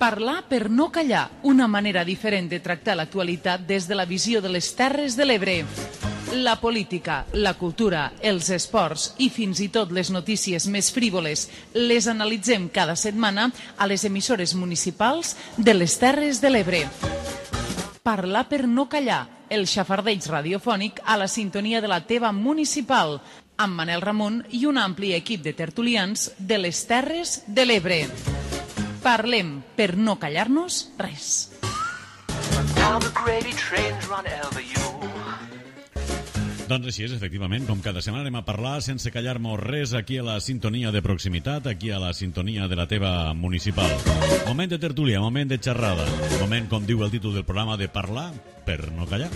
Parlar per no callar, una manera diferent de tractar l'actualitat des de la visió de les Terres de l'Ebre. La política, la cultura, els esports i fins i tot les notícies més frívoles les analitzem cada setmana a les emissores municipals de les Terres de l'Ebre. Parlar per no callar, el xafardeig radiofònic a la sintonia de la teva municipal, amb Manel Ramon i un ampli equip de tertulians de les Terres de l'Ebre. Parlem per no callar-nos res. Doncs així és, efectivament, com cada setmana anem a parlar sense callar-nos res aquí a la sintonia de proximitat, aquí a la sintonia de la teva municipal. Moment de tertúlia, moment de xerrada, moment, com diu el títol del programa, de parlar per no callar.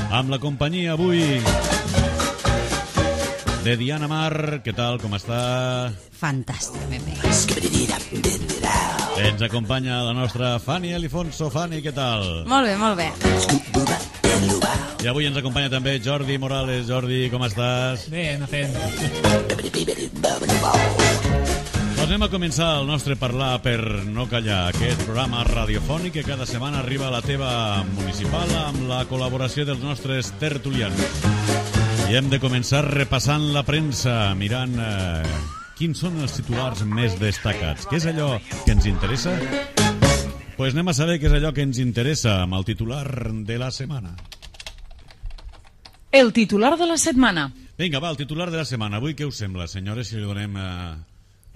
Amb la companyia avui de Diana Mar, què tal, com està? Fantàstic, ben bé. Ens acompanya la nostra Fanny Alifonso. Fanny, què tal? Molt bé, molt bé. I avui ens acompanya també Jordi Morales. Jordi, com estàs? Bé, anar fent. Doncs anem a començar el nostre Parlar per no callar, aquest programa radiofònic que cada setmana arriba a la teva municipal amb la col·laboració dels nostres tertulians. I hem de començar repassant la premsa, mirant quins són els titulars més destacats. Què és allò que ens interessa? Pues anem a saber què és allò que ens interessa amb el titular de la setmana. El titular de la setmana. Vinga, va, el titular de la setmana. Avui què us sembla, senyores, si li donem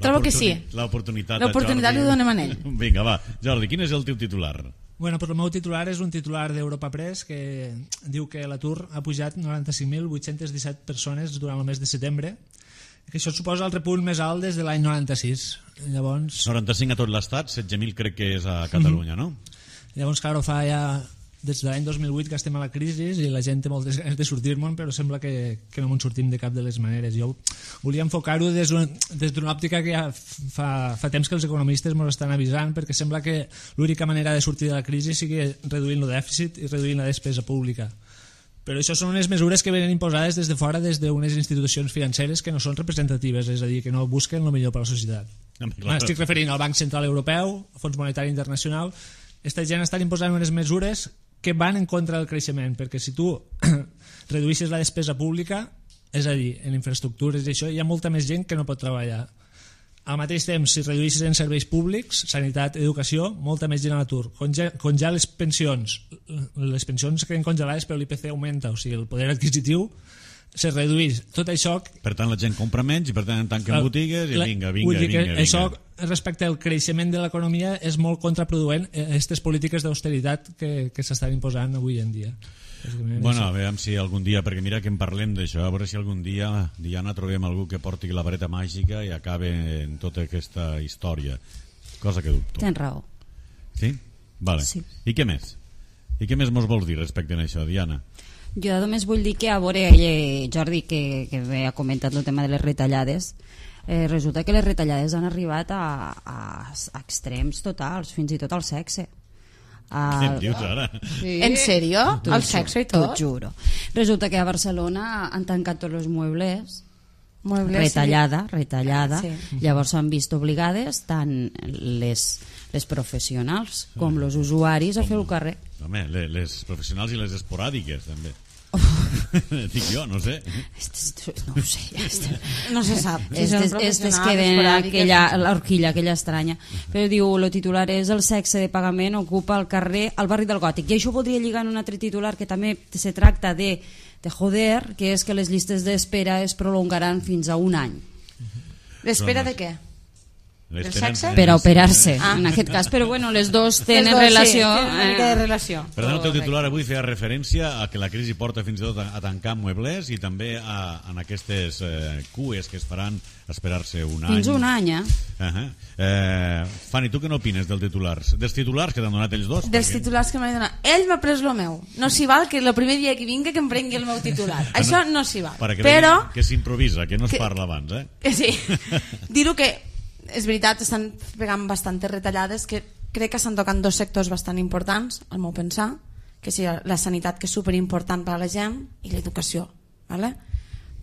Trobo que sí. l'oportunitat a Jordi? L'oportunitat li donem a ell. Vinga, va. Jordi, quin és el teu titular? Bueno, pues el meu titular és un titular d'Europa Press que diu que l'atur ha pujat 95.817 persones durant el mes de setembre, que això suposa el repunt més alt des de l'any 96. Llavors... 95 a tot l'estat, 16.000 crec que és a Catalunya, no? Llavors, clar, fa ja des de l'any 2008 que estem a la crisi i la gent té moltes ganes de sortir-me'n, però sembla que no ens sortim de cap de les maneres. Jo volia enfocar-ho des d'una òptica que ja fa temps que els economistes ens estan avisant, perquè sembla que l'única manera de sortir de la crisi sigui reduint el dèficit i reduint la despesa pública. Però això són unes mesures que venen imposades des de fora, des d'unes institucions financeres que no són representatives, és a dir, que no busquen el millor per a la societat. M'estic referint al Banc Central Europeu, al Fons Monetari Internacional. Aquesta gent està imposant unes mesures que van en contra del creixement, perquè si tu reduïssis la despesa pública, és a dir, en infraestructures i això, hi ha molta més gent que no pot treballar. Al mateix temps, si reduïssis en serveis públics, sanitat, educació, molta més gent a l'atur. Congelar les pensions queden congelades però l'IPC augmenta, o sigui, el poder adquisitiu se redueix. Tot això... Per tant, la gent compra menys i per tant tanquen botigues i vinga. Això, respecte al creixement de l'economia, és molt contraproduent aquestes polítiques d'austeritat que s'estan imposant avui en dia. Bueno, a veure si algun dia, perquè mira que en parlem d'això, a veure si algun dia, Diana, trobem algú que porti la vareta màgica i acabe en tota aquesta història. Cosa que dubto. Tens raó. Sí? Vale. Sí. I què més? I què més mos vols dir respecte a això, Diana? Jo només vull dir que a veure, Jordi, que bé ha comentat el tema de les retallades, resulta que les retallades han arribat a extrems totals, fins i tot al sexe. Què em dius ara? Sí. En sèrio? El sexe i tot? T'ho juro. Resulta que a Barcelona han tancat tots els muebles, retallada. Sí. Llavors s'han vist obligades tant les professionals com els usuaris a fer el carrer. Home, les professionals i les esporàdiques també. Dic jo, no sé. No ho sé, no se sap. Estes queden l'horquilla aquella estranya. Però diu, el titular és el sexe de pagament ocupa el carrer al barri del Gòtic. I això podria lligar en un altre titular que també se tracta de joder, que és que les llistes d'espera es prolongaran fins a un any. L'espera de què? Del sexe? Per a operar-se, en aquest cas, però bueno, les dos tenen relació. Sí, tenen una mica de relació. Per tant, el teu titular avui feia referència a que la crisi porta fins i tot a tancar mueblers i també en aquestes cues que es faran esperar-se un any. Fins un any, Fanny, tu què n'opines dels titulars que t'han donat ells dos? Dels titulars que m'han donat. Ell m'ha pres el meu. No s'hi val que el primer dia que vinga que em prengui el meu titular. Això no s'hi val. Però que s'improvisa, que no es parla abans. Sí. Dir-ho que és veritat, estan pegant bastantes retallades que crec que estan tocant dos sectors bastant importants, al meu pensar, que és la sanitat, que és superimportant per a la gent, i l'educació. ¿Vale?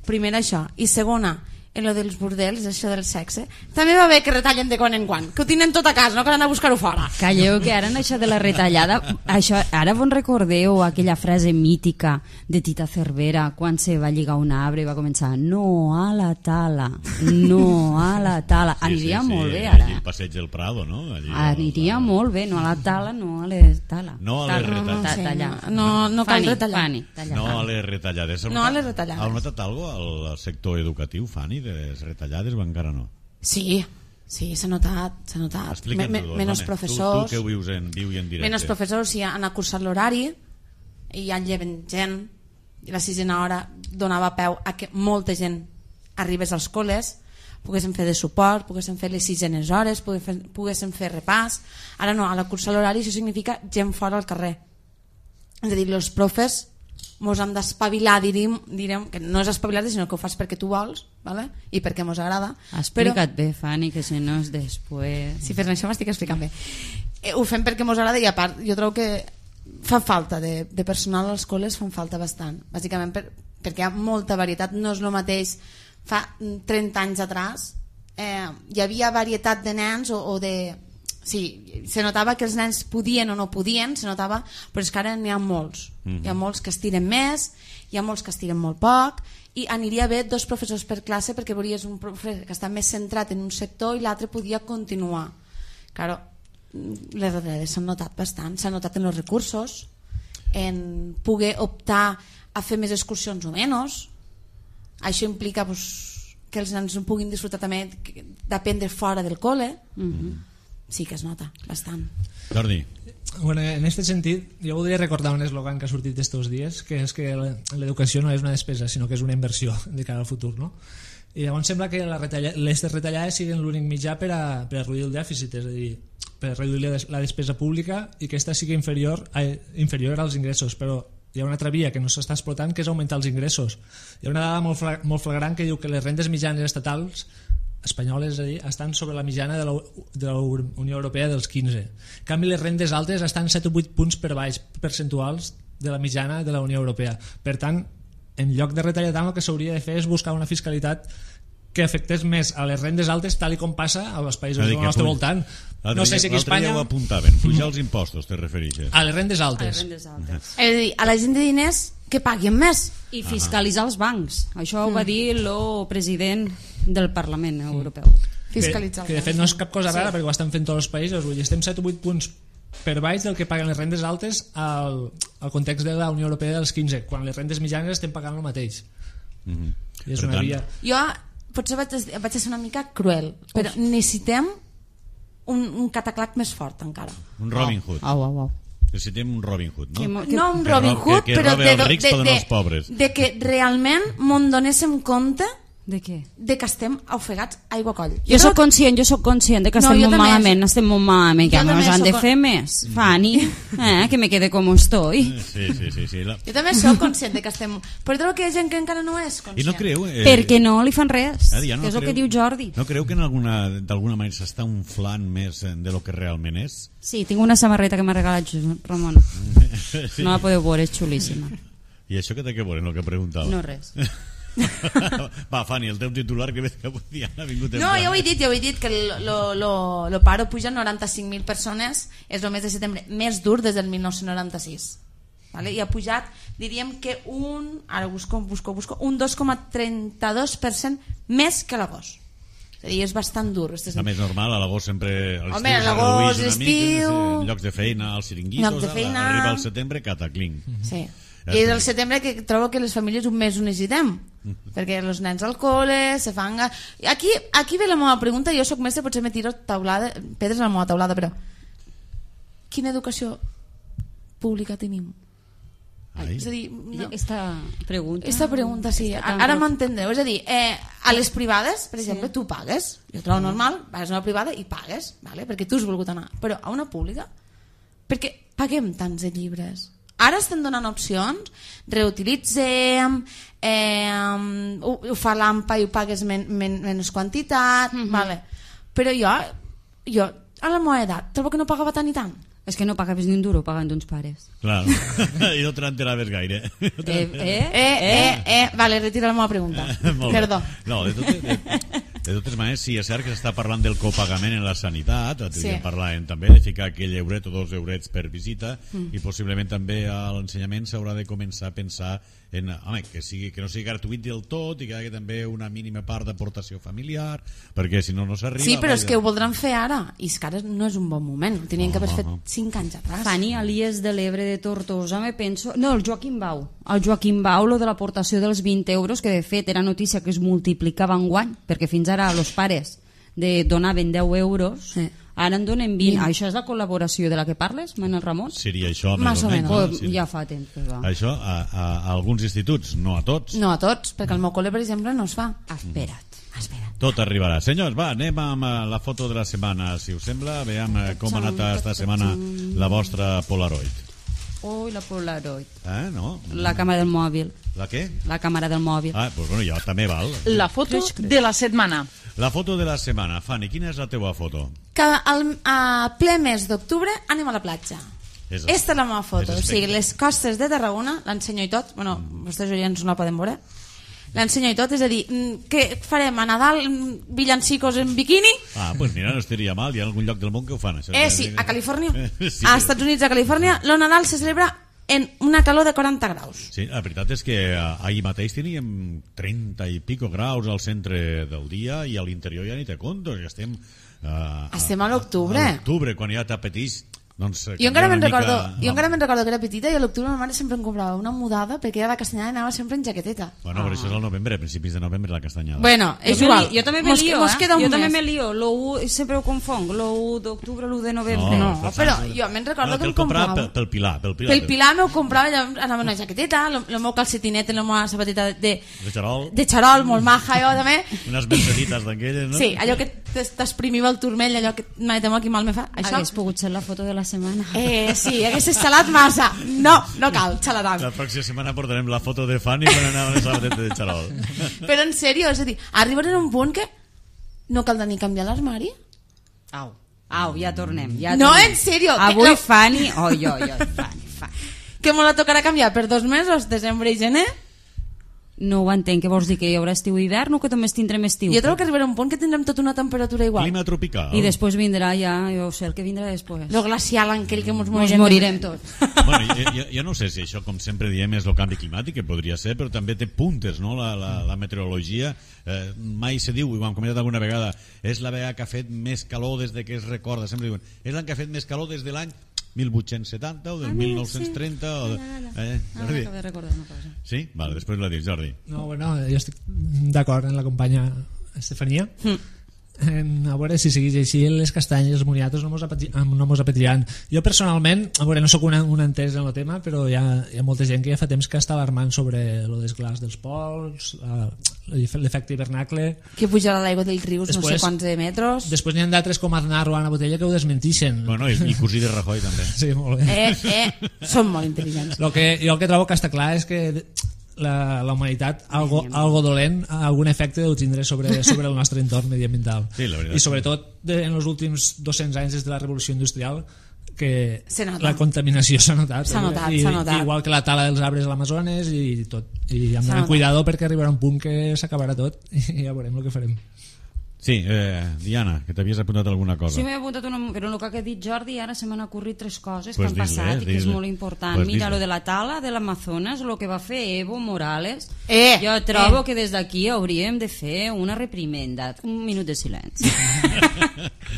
Primera això. I segona, en lo dels bordels, això del sexe, també va bé que retallen de quan en quan, que ho tenen tot a casa, no cal anar a buscar-ho fora. Calleu, que ara en això de la retallada, ara vos recordeu aquella frase mítica de Tita Cervera quan se va lligar un arbre i va començar no a la tala, no a la tala. Aniria molt bé ara. El passeig del Prado, no? Aniria molt bé, no a la tala, no a la tala. No a les retallades. No cal retallar. No a les retallades. No a les retallades. Has notat alguna cosa al sector educatiu, Fanny, de les retallades o encara no? Sí, s'ha notat. Menys professors. Tu que viu en directe. Menys professors han acursat l'horari i ja lleven gent i la sisena hora donava peu a que molta gent arribés als col·les, poguessin fer de suport, poguessin fer les sisenes hores, poguessin fer repàs. Ara no, a la cursa l'horari això significa gent fora al carrer. És a dir, els profes mos hem d'espavilar, direm que no és espavilar-te sinó que ho fas perquè tu vols, ¿vale? I perquè mos agrada. Explica't bé, Fanny, que si no és després... Si fes això m'estic explicant bé. Ho fem perquè mos agrada i a part jo trobo que fa falta de personal als col·les, fan falta bastant, bàsicament perquè hi ha molta varietat, no és el mateix fa 30 anys atrás hi havia varietat de nens o de... Sí, se notava que els nens podien o no podien, se notava, però és que ara n'hi ha molts. Hi ha molts que estiren més, hi ha molts que estiren molt poc, i aniria bé 2 professors per classe perquè veuries un professor que està més centrat en un sector i l'altre podia continuar. Claro, les retallades s'han notat bastant, s'han notat en els recursos, en poder optar a fer més excursions o menys. Això implica que els nens no puguin disfrutar també d'aprendre fora del col·le. Sí que es nota bastant. Jordi. Bueno, en aquest sentit, jo voldria recordar un eslògan que ha sortit estos dies, que és que l'educació no és una despesa, sinó que és una inversió de cara al futur, no? I llavors sembla que les retallades siguin l'únic mitjà per a reduir el dèficit, és a dir, per reduir la despesa pública i que aquesta sigui inferior als ingressos, però hi ha una altra via que no s'està explotant, que és augmentar els ingressos. Hi ha una dada molt flagrant que diu que les rendes mitjanes estatals espanyoles, és a dir, estan sobre la mitjana de la Unió Europea dels 15. En canvi, les rendes altes estan 7 o 8 punts per baix percentuals de la mitjana de la Unió Europea. Per tant, en lloc de retallar tant, el que s'hauria de fer és buscar una fiscalitat que afectés més a les rendes altes, tal com passa als països del nostre voltant. No sé si aquí a Espanya... L'altre dia ho apuntaven, pujar els impostos, te refereixes? A les rendes altes. És a dir, a la gent de diners que paguin més. I fiscalitzar els bancs. Això ho va dir el president del Parlament Europeu. Fiscalitzar. Que de fet no és cap cosa rara, perquè ho estan fent tots els països. Vull dir, estem 7 o 8 punts per baix del que paguen les rendes altes al context de la Unió Europea dels 15, quan les rendes mitjanes estem pagant el mateix. I és una via... Jo potser vaig ser una mica cruel, però necessitem un cataclac més fort encara. Un Robin Hood. Au. Necessitem un Robin Hood, no? No un Robin Hood, però els rics per donar als pobres. de que realment m'on donéssim compte de què? De que estem ofegats a aigua coll. Jo sóc conscient de que estem molt malament, estem molt malament, que ens han de fer més. Fanny, que me quede com estoy. Sí. Jo també sóc conscient de que estem... Però trobo que hi ha gent que encara no és conscient. I no creu... Perquè no li fan res, que és el que diu Jordi. No creu que d'alguna manera s'està inflant més de lo que realment és? Sí, tinc una samarreta que m'ha regalat Ramon. No la podeu veure, és xulíssima. I això que té que veure en el que preguntava? No res. Va, Fanny, el teu titular que ves que avui ha vingut no, jo ho he dit que el paro puja 95.000 persones, és el mes de setembre més dur des del 1996, vale? I ha pujat, diríem que ara busco un 2,32% més que l'agost. És a dir, és bastant dur. Està més normal, a l'agost sempre home, a l'agost, l'estiu, llocs de feina, als xiringuitos, arriba al setembre, cataclinc. Sí. I és el setembre que trobo que les famílies un mes ho necessitem, perquè els nens al col·le se fan... Aquí ve la meva pregunta, jo soc mestre, potser me tiro pedres a la meva taulada, però quina educació pública tenim? És a dir, no. Esta pregunta sí, ara m'entendeu, és a dir, a les privades, per exemple, tu pagues, jo trobo normal, vas a una privada i pagues, vale? Perquè tu has volgut anar, però a una pública, perquè paguem tants de llibres. Ara estem donant opcions, reutilitzem, ho fa l'AMPA i ho pagues menys quantitat, vale. Però jo a la meva edat trobo que no pagava tant i tant. És que no pagaves ni un duro pagant uns pares. Clar, i no te n'enteraves gaire. Vale, retira la meva pregunta. Molt bé. Perdó. No, de totes maneres, sí, és cert que s'està parlant del copagament en la sanitat, Sí. parlàvem també de ficar aquell euret o 2 eurets per visita, i possiblement també a l'ensenyament s'haurà de començar a pensar en, home, que no sigui gratuït del tot i que hi hagi també una mínima part d'aportació familiar, perquè si no, no s'arriba. Sí, però és que ho voldran fer ara, i és que ara no és un bon moment, ho tenien que haver fet 5 anys atrás. Fanny, a l'IES de l'Ebre de Tortosa, me penso... No, el Joaquim Bau. El Joaquim Bau, lo de l'aportació dels 20 euros, que de fet era notícia que es multiplicava en guany, perquè fins ara els pares donaven 10 euros, Sí. ara en donen 20. Això és la col·laboració de la que parles, Manel Ramon? Seria això, Más o menos. no? Pues ja fa temps que va. Això a alguns instituts, no a tots. No a tots, perquè al meu col·le, per exemple, no es fa. Espera't. Tot arribarà. Senyors, va, anem amb la foto de la setmana, si us sembla. Veiem com ha anat esta setmana la vostra Polaroid. Ui, la Polaroid. No? La càmera del mòbil. La què? La càmera del mòbil. Doncs bueno, ja també val. La foto de la setmana. La foto de la setmana. Fanny, quina és la teua foto? Que a ple mes d'octubre anem a la platja. És- Esta és la meva foto, és o sigui, les costes de Tarragona, l'ensenyo i tot, bueno, vostès oients no la poden veure, l'ensenyo i tot, és a dir, què farem, a Nadal, villancicos en biquini? Pues mira, no estaria mal, hi ha algun lloc del món que ho fan, això. Sí, a Califòrnia, Sí. als Estats Units, a Califòrnia, el Nadal se celebra en una calor de 40 graus. Sí, la veritat és que ahir mateix teníem 30 i pico graus al centre del dia i a l'interior ja ni te conto, ja estem... Estem a l'octubre. A l'octubre, quan ja t'apetís... Doncs, Jo encara me'n canvia recordo, una mica- que era petita i a l'octubre ma mare sempre em comprava una mudada perquè era la castanyada i anava sempre en jaqueteta. Bueno, però això és al novembre, a principis de novembre, la castanyada. Bueno, és Jo igual. jo també me Mos- lío, mos queda un Jo mes. també me lío. Sempre ho confong. L'1 d'octubre, l'1 de novembre. No, però jo me'n recordo que em comprava. Pel Pilar. Pel Pilar m'ho comprava, allò, anava en una jaqueteta, el meu calcetinet, la meva sabateta De xarol. de xarol, molt maja, jo també. Unes mercedites d'aquelles, no? Sí, allò que t'exprimiva el turmell, allò que mai temo qui mal me fa. Això, Hagués pogut ser la foto de la setmana. sí, hagués xalat massa. No cal, xalaran. La pròxima setmana portarem la foto de Fanny quan anava a la sabateta de xarol. Però en sèrio, és a dir, arribarem a un punt que no caldrà ni canviar l'armari. Au, ja tornem. No, en sèrio. Avui que, Fanny... Fanny. que me la tocarà canviar per 2 mesos, desembre i gener. No ho entenc, què vols dir? Que hi haurà estiu i hivern o que només tindrem estiu? Jo trobo que arribarà un punt que tindrem tota una temperatura igual. Clima tropical. I després vindrà ja, jo sé el que vindrà després. Lo glacial aquell que ens Ens morirem tots. Bueno, jo no sé si això, com sempre diem, és el canvi climàtic, que podria ser, però també té puntes, no?, la meteorologia. Mai se diu, i ho hem comentat alguna vegada, és la vegada que ha fet més calor des de que es recorda. Sempre diuen, és l'any que ha fet més calor des de l'any 1870 o del 1930 o de... Acabo de recordar una cosa. Sí? Vale, després la dius, Jordi. No, bueno, jo estic d'acord amb la companya Estefania. A veure si segueix així les castanyes, els moniatos no mos apetriran. Jo personalment, a veure, no sóc un entès en el tema, però hi ha molta gent que ja fa temps que està alarmant sobre el desglàs dels pols, l'efecte hivernacle. Que pujarà l'aigua del riu no sé quants de metres. Després n'hi ha d'altres com Aznar o Ana Botella que ho desmentixen. Bueno, i cosí de Rajoy també. Sí, molt bé. Són molt intel·ligents. Jo el que trobo que està clar és que la humanitat algo dolent algun efecte deu tindre sobre el nostre entorn mediambiental, sí, i sobretot en els últims 200 anys des de la revolució industrial que la contaminació s'ha notat, s'ha notat. igual que la tala dels arbres a l'Amazones i tot, i hem d'anar cuidado perquè arribarà un punt que s'acabarà tot i ja veurem el que farem. Sí, Diana, que t'havies apuntat alguna cosa. Sí, m'he apuntat però el que ha dit Jordi ara se m'han ocorrit 3 coses Pues que han passat i que és molt important. Pues Mira, lo de la tala de l'Amazones, lo que va fer Evo Morales, jo trobo que des d'aquí hauríem de fer una reprimenda. Un minut de silenci.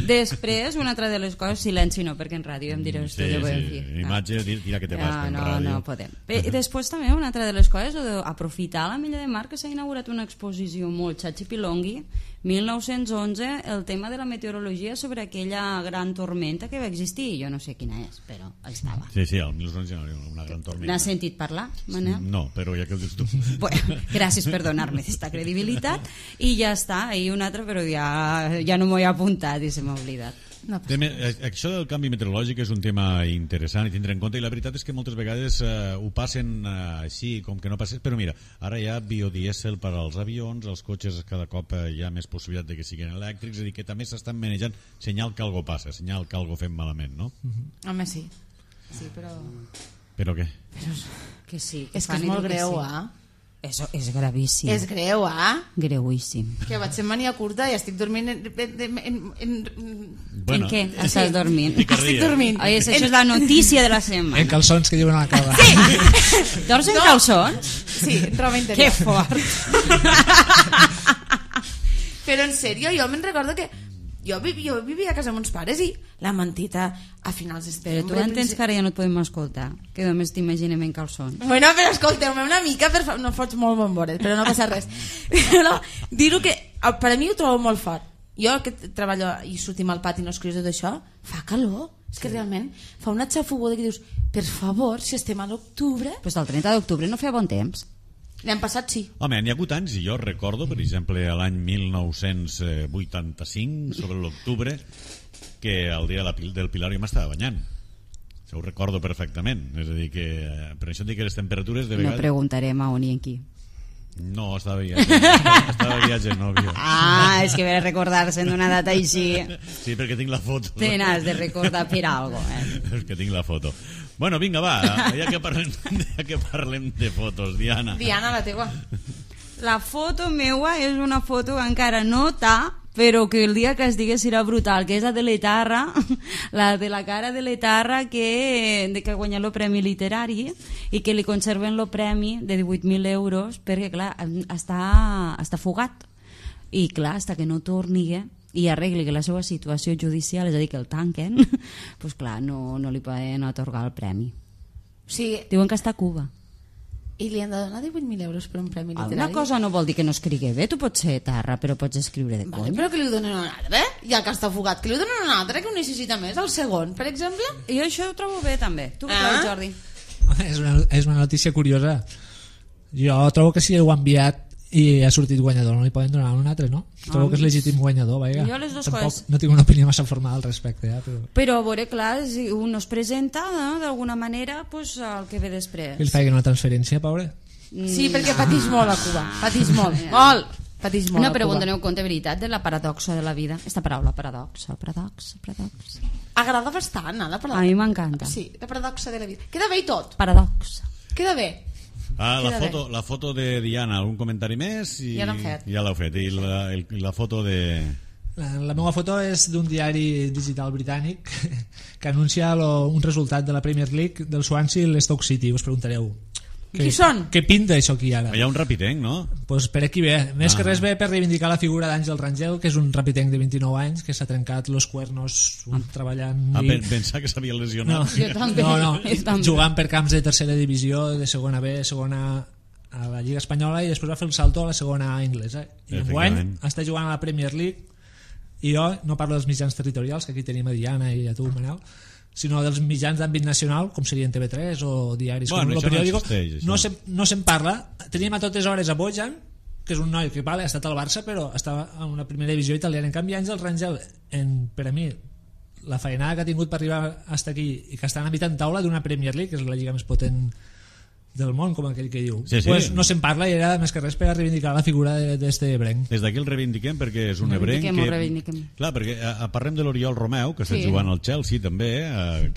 Després, una altra de les coses, silenci no, perquè en ràdio em direu esto de dir. Imatge, tira que te vas en ràdio. No podem. I després també una altra de les coses, aprofitar la Milla de Mar, que s'ha inaugurat una exposició molt xatxipilongui, 1911, el tema de la meteorologia sobre aquella gran tormenta que va existir. Jo no sé quina és, però estava. Sí, el 1911 una gran tormenta. N'has sentit parlar, Manel? No, però ja que ho dius tu. Bueno, gràcies per donar-me aquesta credibilitat. I ja està, i una altra, però ja no m'ho he apuntat i se m'ha oblidat. No passa res. Això del canvi meteorològic és un tema interessant i tindre en compte, i la veritat és que moltes vegades ho passen així, com que no passés, però mira, ara hi ha biodièsel per als avions, els cotxes cada cop hi ha més possibilitat de que siguin elèctrics, és a dir, que també s'estan manejant senyal que algo passa, senyal que algo fem malament, no? Home, sí. Sí, però... Però què? Que sí. És que és molt greu, Eso és gravíssim. És greu, Greuíssim. Que vaig ser mania curta i estic dormint En què estàs dormint? Estic dormint. Ai, això és la notícia de la setmana. En calçons que diuen a la cava. Dors en calçons? Sí, roba interior. Que fort. Però en sèrio, jo me'n recordo que jo vivia a casa amb uns pares i la mentita a finals de Però setembre... tu entens que ara ja no et podem escoltar, que només t'imaginem en calçons. Bueno, però escolteu-me una mica, no fots molt bomboret, però no passa res. Però dir-ho que, per a mi ho trobo molt fort. Jo que treballo i sortim al pati i no escrius tot això, fa calor. És que realment fa una xafugoda que dius, per favor, si estem a l'octubre... Pues el 30 d'octubre no feia bon temps. L'any passat sí. Home, n'hi ha hagut anys, i jo recordo, per exemple, l'any 1985, sobre l'octubre, que el dia del Pilar jo m'estava banyant. Això ho recordo perfectament. És a dir, que per això dic que les temperatures de vegades... No preguntarem a on i en qui. No, estava viatge nòvio. Ah, és que ve recordar-se d'una data així. Sí, perquè tinc la foto. Te n'has de recordar per algo, És que tinc la foto. Bueno, vinga, va, ja que parlem de fotos, Diana. Diana, la teua. La foto meua és una foto que encara no t'ha, però que el dia que es digués era brutal, que és la de l'Etarra, la de la cara de l'Etarra que guanya el premi literari i que li conserven el premi de 18.000 euros perquè, clar, està fugat. I, clar, fins que no torni i arregli que la seva situació judicial, és a dir, que el tanquen, doncs, clar, no li poden atorgar el premi. Sí. Diuen que està a Cuba. I li han de donar 18.000 euros per un premi literari. Alguna cosa no vol dir que no escrigui bé, tu pots ser Etarra, però pots escriure de Vale, coll. però que li donen un altre, i el que està fugat, que li donen un altre que ho necessita més, el segon, per exemple. I això ho trobo bé, també. Tu què creus, Jordi? És una notícia curiosa. Jo trobo que si ho ha enviat i ha sortit guanyador, no li poden donar un altre, no? Trobo que és legítim guanyador, vaja. Jo les dues Tampoc coses. no tinc una opinió massa formal al respecte, Però a veure, clar, si un es presenta, no? D'alguna manera, pues, el que ve després. que li facin una transferència, pobre. Sí, perquè patix molt a Cuba, patix molt, molt. Patix molt No, a però Cuba. doneu compte, veritat, de la paradoxa de la vida. Esta paraula, paradoxa. Agrada bastant, la paradoxa. A mi m'encanta. Sí, la paradoxa de la vida. Queda bé i tot. Paradoxa. Queda bé. La foto de Diana, algun comentari més? Ja l'hem fet. Ja l'heu fet. I la foto de... La meva foto és d'un diari digital britànic que anuncia un resultat de la Premier League del Swansea i l'Stoke City. Us preguntareu Qui són? què pinta això aquí ara? Hi ha un rapitenc, no? Pues per aquí ve, més que res ve per reivindicar la figura d'Àngel Rangel, que és un rapitenc de 29 anys que s'ha trencat los cuernos treballant Pensar que s'havia lesionat. Jo també. no, Jo també. jugant per camps de tercera divisió, de segona B, segona a la Lliga Espanyola, i després va fer el salto a la segona A anglesa, i enguany està jugant a la Premier League. I jo no parlo dels mitjans territorials, que aquí tenim a Diana i a tu, Manel, sinó dels mitjans d'àmbit nacional, com serien TV3 o diaris com El Periódico. No se'n parla. Teníem a totes hores a Bojan, que és un noi que ha estat al Barça, però estava en una primera divisió italiana. En canvi, Àngel Rangel, per a mi, la feinada que ha tingut per arribar fins aquí i que està en habitant taula d'una Premier League, que és la lliga més potent del món, com aquell que diu, sí. Pues no se'n parla, i era més que res per a reivindicar la figura d'este ebrenc. Des d'aquí el reivindiquem perquè és un ebrenc reivindiquem. Clar, perquè parlem de l'Oriol Romeu, que està jugant al Chelsea també,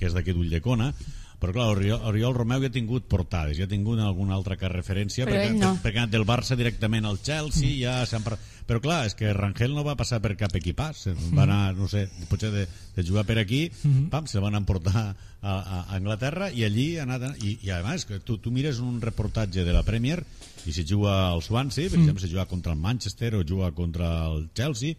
que és d'aquí d'Ulldecona, però clar, Oriol Romeu ja ha tingut portades, ja ha tingut alguna altra referència, perquè ha anat del Barça directament al Chelsea, ja s'han parlat. Però clar, és que Rangel no va passar per cap equipàs, va anar, no sé, potser de jugar per aquí, se van emportar a Anglaterra, i allí ha anat, i a més, tu mires un reportatge de la Premier, i si juga al Swansea, per exemple, si juga contra el Manchester o juga contra el Chelsea,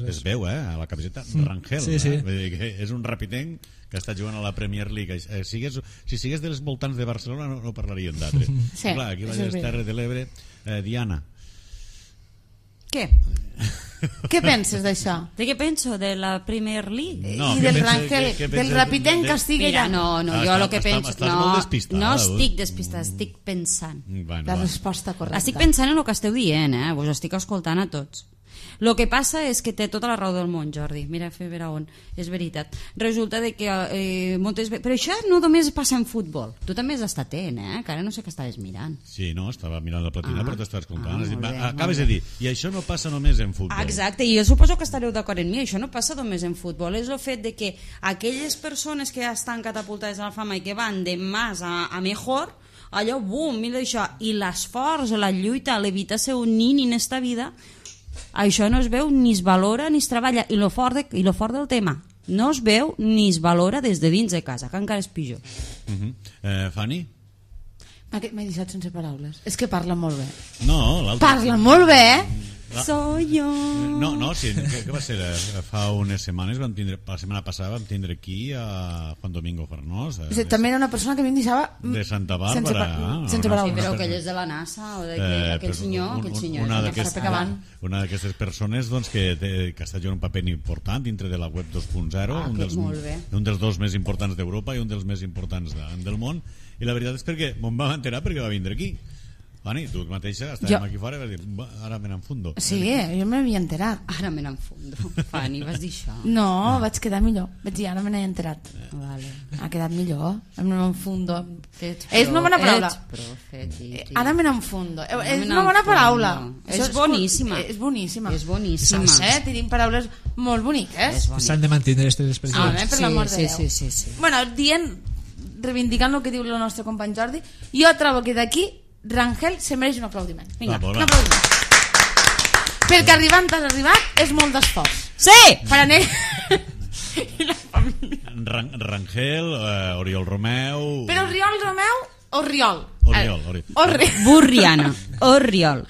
es veu, a la camiseta Rangel, vull dir que és un rapitenc que està jugant a la Premier League. Si sigués dels voltants de Barcelona no parlaríem d'altre. Sí, clar, aquí a les Terres de l'Ebre. Diana, què? Què penses d'això? De què penso? De la Premier League? I del Rangel, del rapitenc que estigui allà? No, jo el que penso... Estàs molt despistada. No estic despistada, estic pensant. La resposta correcta. Estic pensant en el que esteu dient, vos estic escoltant a tots. El que passa és que té tota la raó del món, Jordi. Mira, fer veure on. És veritat. Resulta de que moltes vegades... Però això no només passa en futbol. Tu també has estat atent, que ara no sé què estaves mirant. Sí, no, estava mirant la platina, però t'estàs contant. molt bé, Acabes de dir, i això no passa només en futbol. Exacte, i jo suposo que estareu d'acord amb mi. Això no passa només en futbol. És el fet de que aquelles persones que ja estan catapultades a la fama i que van de más a mejor, allò, bum, mira això, i l'esforç, la lluita, l'evitar ser un nin en esta vida, això no es veu ni es valora ni es treballa, i lo fort del tema, no es veu ni es valora des de dins de casa, que encara és pitjor. Fanny? M'he deixat sense paraules. És que parla molt bé. No, l'altre... Parla molt bé, Soy yo. No, sí, què va ser? Fa unes setmanes la setmana passada vam tindre aquí a Juan Domingo Farnós. També era una persona que a mi em deixava de Santa Bàrbara. sense paraules. Però aquell és de la NASA, o aquell senyor, una d'aquestes persones doncs, que està jugant un paper important dintre de la web 2.0, un dels dos més importants d'Europa i un dels més importants del món, i la veritat és perquè me'n vam enterar perquè va vindre aquí. Fanny, tu mateixa estàvem aquí fora i vas dir, ara me n'enfundo. Sí, jo m'havia enterat. Ara me n'enfundo. Fanny, vas dir això? No, vaig quedar millor. Vaig dir, ara me n'he enterat. Vale. Ha quedat millor. Me n'enfundo. És una bona paraula. Ara me n'enfundo. És una bona paraula. És boníssima. És boníssima. És boníssima. Tenim paraules molt boniques. S'han de mantenir aquestes expressions. Per l'amor de Déu. Sí. Bueno, reivindicant el que diu el nostre company Jordi, jo trobo que d'aquí Rangel se mereix un aplaudiment. Vinga, un aplaudiment. Perquè arribar on has arribat és molt d'esforç. Sí! Per anar... I la família. Rangel, Oriol Romeu... Però Oriol Romeu o Riol? Oriol. Burriana. Oriol.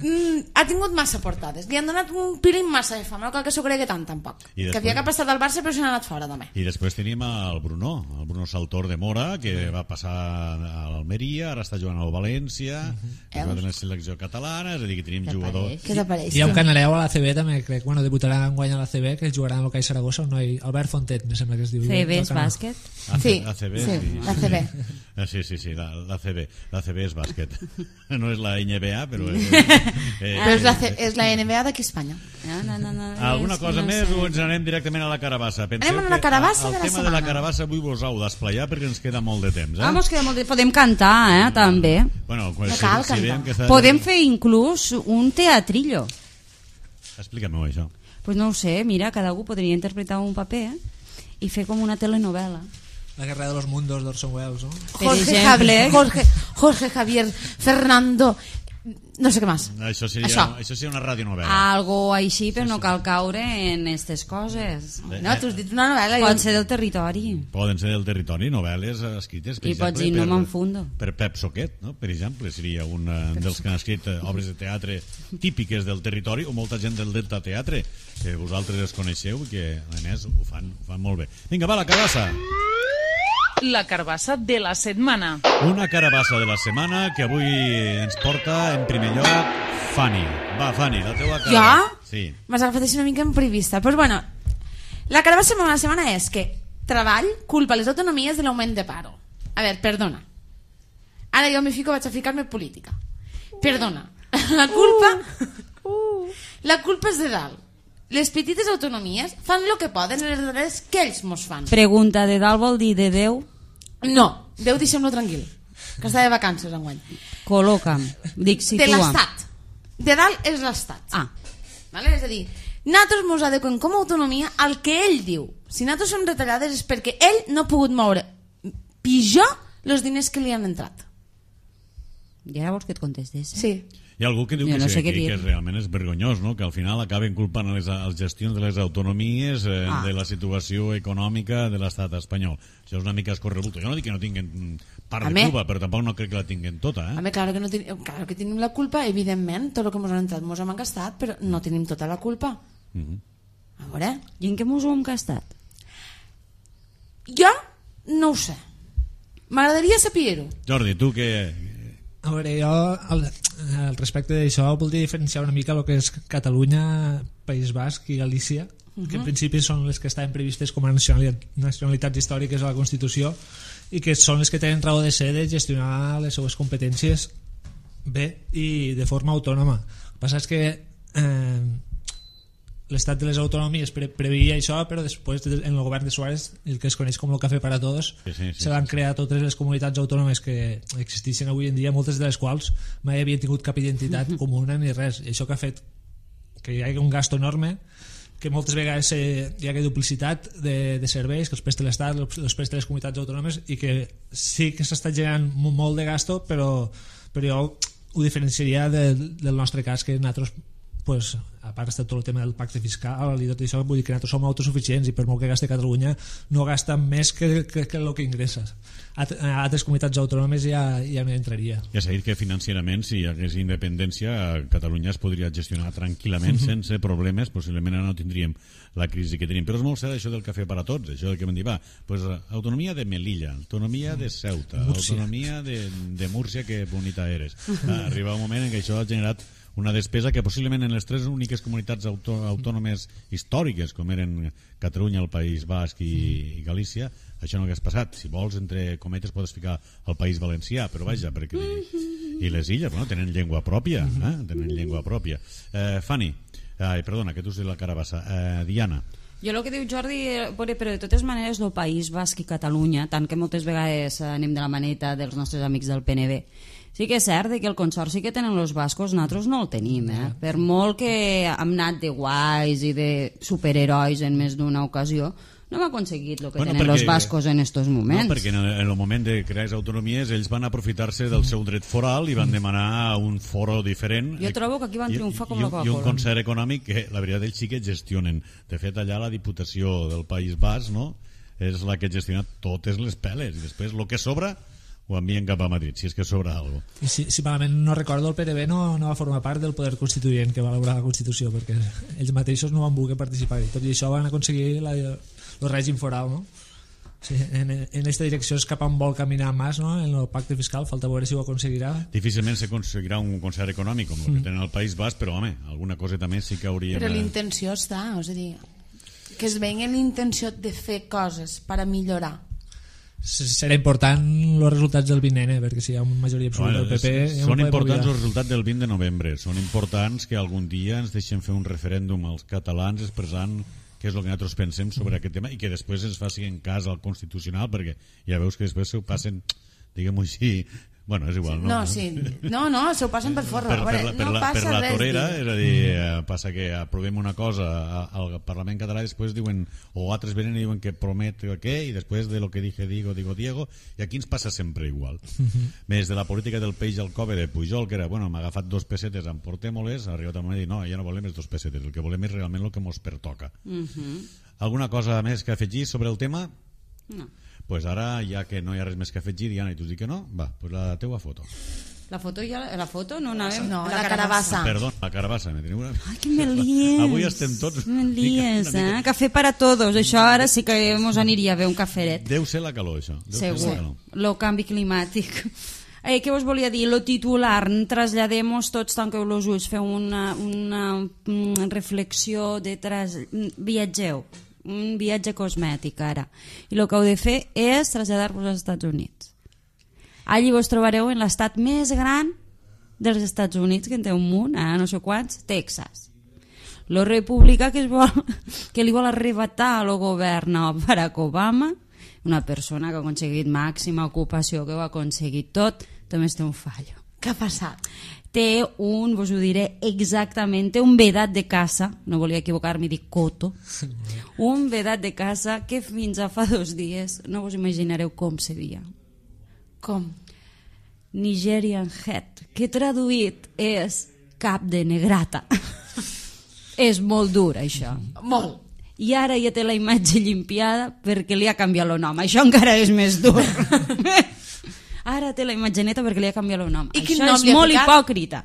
Ha tingut massa portades. Li han donat un pilín massa de fama. No cal que s'ho cregui tant, tampoc. Que havia que passar del Barça però se n'ha anat fora també. I després tenim el Bruno Saltor de Mora, que va passar a l'Almeria, ara està jugant al València, que va tenir la selecció catalana, és a dir, que tenim jugadors. Què t'apareix? Hi ha un canaleu a l'ACB també, crec, debutarà enguany a l'ACB, que jugarà amb el CAI Saragossa, un noi, Albert Fontet, me sembla que es diu. CB és bàsquet? Sí, l'ACB. Sí, l'ACB és bàsquet. No és la NBA, però és la NBA d'aquí a Espanya. No. Alguna cosa més o ens anem directament a la carabassa? Anem a la carabassa de la setmana. El tema de la carabassa avui vos heu d'esplayar perquè ens queda molt de temps. Podem cantar, també. Bueno, no cal cantar. Podem fer inclús un teatrillo. Explica-m'ho això. Pues no ho sé, mira, cada algú podria interpretar un paper i fer com una telenovela. La guerra de los mundos d'Orson Welles, ¿no? Jorge Javier Fernando, no sé què més. Això seria una radionovela. Algo així, però no cal caure en aquestes coses. No, tu has dit una novel·la. Pot ser del territori. Poden ser del territori, novel·les escrites, per exemple, pots dir, no m'enfundo. Per Pep Soquet, no? Per exemple, seria un dels que han escrit obres de teatre típiques del territori, o molta gent del Delta Teatre, que vosaltres els coneixeu i que, a més, ho fan molt bé. Vinga, va, la carabassa! La carabassa de la setmana. Una carabassa de la setmana que avui ens porta en primer lloc Fanny. Va, Fanny, la teua carabassa. Jo? Sí. M'has agafat així una mica imprevista. Pues bueno, la carabassa de la setmana és que treball culpa les autonomies de l'augment de paro. A veure, perdona. Ara jo vaig a ficar-me política. Perdona. La culpa és de dalt. Les petites autonomies fan el que poden en les darreres que ells mos fan. Pregunta, de dalt vol dir de Déu? No, Déu deixem-lo tranquil, que està de vacances enguany. Col·loca'm, dic, situa. De l'Estat. De dalt és l'Estat. Vale? És a dir, nosaltres mos adequem com a autonomia al que ell diu. Si nosaltres som retallades és perquè ell no ha pogut moure pitjor els diners que li han entrat. I ara vols que et contestes? Sí. Hi ha algú que diu que realment és vergonyós, no? Que al final acaben culpant les gestions de les autonomies de la situació econòmica de l'estat espanyol. Això és una mica escorrebuto. Jo no dic que no tinguin part de culpa, però tampoc no crec que la tinguin tota. Claro que tenim la culpa, evidentment, tot el que ens han entrat ens hem gastat, però no tenim tota la culpa. A veure... I en què ens ho hem gastat? Jo no ho sé. M'agradaria saber-ho. Jordi, tu què... A veure, jo al respecte d'això voldria diferenciar una mica el que és Catalunya, País Basc i Galícia, que en principi són les que estaven previstes com a nacionalitats històriques a la Constitució i que són les que tenen raó de ser de gestionar les seues competències bé i de forma autònoma. El que passa és que l'estat de les autonomies preveia això, però després en el govern de Suárez, el que es coneix com el Café para Todos, se van crear totes les comunitats autònomes que existeixen avui en dia, moltes de les quals mai havien tingut cap identitat comuna ni res, i això que ha fet que hi hagi un gasto enorme, que moltes vegades hi ha duplicitat de serveis que els presta l'Estat, els presta les comunitats autònomes, i que sí que s'està generant molt de gasto, però jo ho diferenciaria del nostre cas, que nosaltres, pues, a part està tot el tema del pacte fiscal i tot això, vull dir que nosaltres som autosuficients i per molt que gasti Catalunya no gasta més que el que ingressa. A altres comunitats autònomes ja no entraria. Ja s'ha dit que financierament, si hi hagués independència, Catalunya es podria gestionar tranquil·lament sense problemes, possiblement ara no tindríem la crisi que tenim, però és molt cert això del cafè per a tots, això del que vam dir, pues, autonomia de Melilla, autonomia de Ceuta, autonomia de Múrcia, que bonita eres. Arriba un moment en què això ha generat una despesa que possiblement en les tres úniques comunitats autònomes històriques, com eren Catalunya, el País Basc i Galícia, això no hagués passat. Si vols, entre cometes, podes ficar el País Valencià, però vaja, perquè... I les illes, bueno, tenen llengua pròpia, tenen llengua pròpia. Fanny, perdona, que tu ets de la Carabassa. Diana. Jo el que diu Jordi, però de totes maneres el País Basc i Catalunya, tant que moltes vegades anem de la maneta dels nostres amics del PNB, sí que és cert que el consorci que tenen els bascos nosaltres no el tenim, per molt que hem anat de guais i de superherois en més d'una ocasió, no hem aconseguit el que tenen els bascos en estos moments. No, perquè en el moment de crear les autonomies ells van aprofitar-se del seu dret foral i van demanar un foro diferent. Jo trobo que aquí van triomfar com la Coca-Cola. I un concert econòmic que la veritat ells sí que gestionen. De fet, allà la Diputació del País Basc, no?, és la que gestiona totes les peles i després el que sobra ho envien cap a Madrid, si és que sobra alguna cosa. Si malament no recordo, el PNB no va formar part del poder constituent que va elaborar la Constitució, perquè ells mateixos no van voler participar-hi. Tot i això van aconseguir el règim foral, no? Sí, en aquesta direcció és cap on vol caminar Mas, no? En el pacte fiscal, falta veure si ho aconseguirà. Difícilment s'aconseguirà un concert econòmic com el que tenen al País Basc, però home, alguna cosa també sí que hauríem... Però l'intenció està, és a dir, que es vegi l'intenció de fer coses per a millorar. Serà important els resultats del 20N, perquè si hi ha una majoria absoluta del PP... Són importants els resultats del 20 de novembre, són importants que algun dia ens deixen fer un referèndum als catalans expressant què és el que nosaltres pensem sobre aquest tema i que després ens facin cas al Constitucional, perquè ja veus que després s'ho passen, diguem-ho així... Bueno, és igual, no? No, s'ho passen per forra. Per la torera, és a dir, passa que aprovem una cosa al Parlament català i després diuen, o altres venen i diuen que promet què, i després de lo que dije digo Diego, i aquí ens passa sempre igual. Més de la política del peix al cove de Pujol, que era, bueno, m'ha agafat 2 pessetes, emportem-les, ha arribat a un moment i dir, no, ja no volem les 2 pessetes, el que volem és realment el que mos pertoca. Alguna cosa més que afegir sobre el tema? No. Pues ara, ja que no hi ha res més que afegir, Diana, i tu dius que no, va, pues la teua foto. La foto no anàvem... No, la carabassa. Perdó, la carabassa. Ai, que me lies. Avui estem tots... Me lies, Cafè para todos. Això ara sí que mos aniria a fer un caferet. Deu ser la calor, això. Segur. Lo canvi climàtic. Què us volia dir? Lo titular, traslladem-nos tots, tanqueu els ulls, feu una reflexió de viatgeu. Un viatge cosmètic ara, i el que heu de fer és traslladar-vos als Estats Units. Allí vos trobareu en l'estat més gran dels Estats Units, que en té un munt, no sé quants, Texas. La república que li vol arrebatar al govern a Barack Obama, una persona que ha aconseguit màxima ocupació, que ho ha aconseguit tot, també té un fallo. Què ha passat? Té vos ho diré exactament, té un vedat de caça, no volia equivocar-me, dic coto, un vedat de caça que fins a fa 2 dies no vos imaginareu com seria. Com? Nigerian Head, que traduït és cap de negrata. És molt dur, això. Molt. I ara ja té la imatge llimpiada perquè li ha canviat el nom. Això encara és més dur. Ara té la imatgeneta perquè li ha canviat el nom. Això és molt hipòcrita.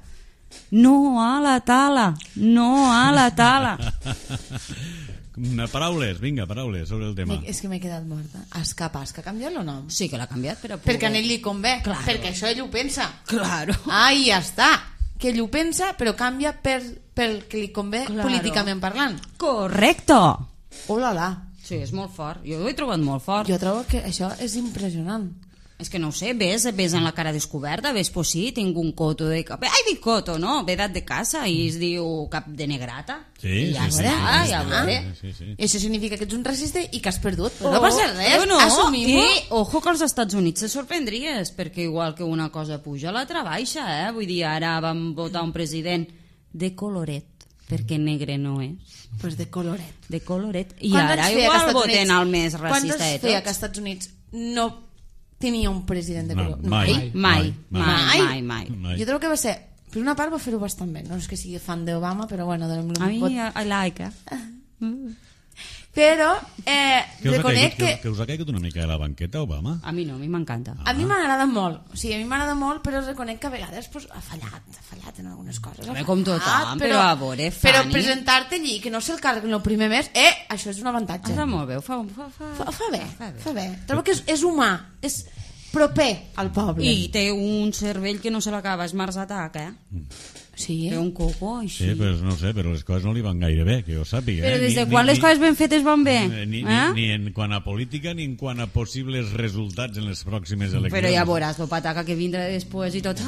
No a la tala. No a la tala. Paraules, vinga, paraules sobre el tema. És que m'he quedat morta. És capaç que ha canviat el nom? Sí que l'ha canviat per a poder. Perquè a ell li convé. Claro. Perquè això ell ho pensa. Claro. I ja està. Que ell ho pensa però canvia pel que li convé, claro, políticament parlant. Correcto. Oh la la. Sí, és molt fort. Jo ho he trobat molt fort. Jo trobo que això és impressionant. És que no ho sé, ves en la cara descoberta, ves, pues sí, tinc un coto de... Ai, dic coto, no? Ve edat de casa i es diu cap de negrata. Sí, ja sí, ja veuré. I això significa que ets un racista i que has perdut. Però no passa res, no. assumim-ho. I ojo que als Estats Units se sorprendries, perquè igual que una cosa puja, l'altra baixa, Vull dir, ara vam votar un president de coloret, perquè negre no és. Pues de coloret. De coloret. I ara igual voten el més racista de tots. Quant feia que als Estats Units no tenia un president de color? Mai. Jo crec que va ser, per una part va fer-ho bastant bé, no és que sigui fan d'Obama, però bueno, a mi I like però reconec que us ha caigut una mica de la banqueta Obama? A mi no, a mi m'encanta. A mi m'agrada molt, o sigui, a mi m'agrada molt, però reconec que a vegades pues, ha fallat en algunes coses. Com tothom, però a veure, Fanny... Però presentar-te allí, que no sé el càrrec el primer mes, això és un avantatge. Està molt bé, fa bé. Trobo que és humà, és proper al poble. I té un cervell que no se l'acaba, és Mars Attack, Sí. Té un coco així. Sí, però no sé, però les coses no li van gaire bé, que jo sàpiga. Però des de quan les coses ben fetes van bé? Ni en quant a política ni en quant a possibles resultats en les pròximes eleccions. Però ja veuràs, el pataca que vindrà després i tot.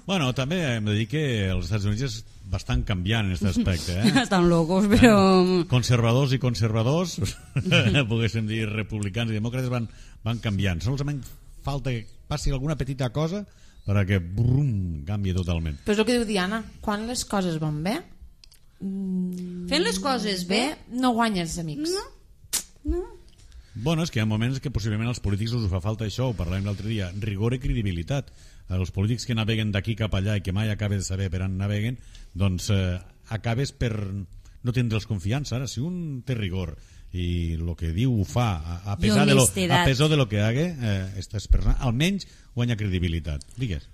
Bueno, també hem de dir que els Estats Units és bastant canviant en aquest aspecte. Estan locos, però... Conservadors i conservadors, poguéssim dir republicans i demòcrates, van canviant. Solament falta que passi alguna petita cosa perquè brum, canvia totalment. Però és el que diu Diana, quan les coses van bé, fent les coses bé, no guanyes amics. No. Bueno, és que hi ha moments que possiblement als polítics us fa falta això, ho parlàvem l'altre dia, rigor i credibilitat. Els polítics que naveguen d'aquí cap allà i que mai acabes de saber per on naveguen, doncs acabes per no tindre'ls confiança. Ara, si un té rigor i el que diu ho fa a pesar de lo que haga, aquestes persones almenys guanya credibilitat. Digues.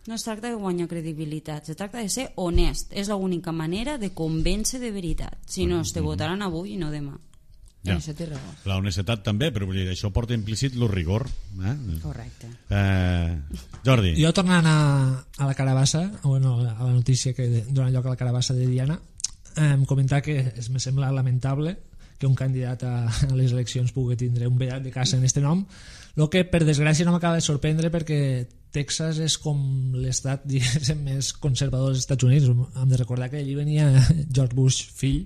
No es tracta de guanyar credibilitat, se tracta de ser honest. És l'única manera de convèncer de veritat. Si no, te votaran avui i no demà. Ja. La honestedat també, però vull dir, això porta implícit el rigor. Correcte. Jordi. Jo tornant a la carabassa, bueno, a la notícia que dona lloc a la carabassa de Diana, comentar que me sembla lamentable que un candidat a les eleccions pugui tindre un vedat de casa en este nom, el que per desgràcia no m'acaba de sorprendre perquè Texas és com l'estat més conservador dels Estats Units. Hem de recordar que allí venia George Bush fill,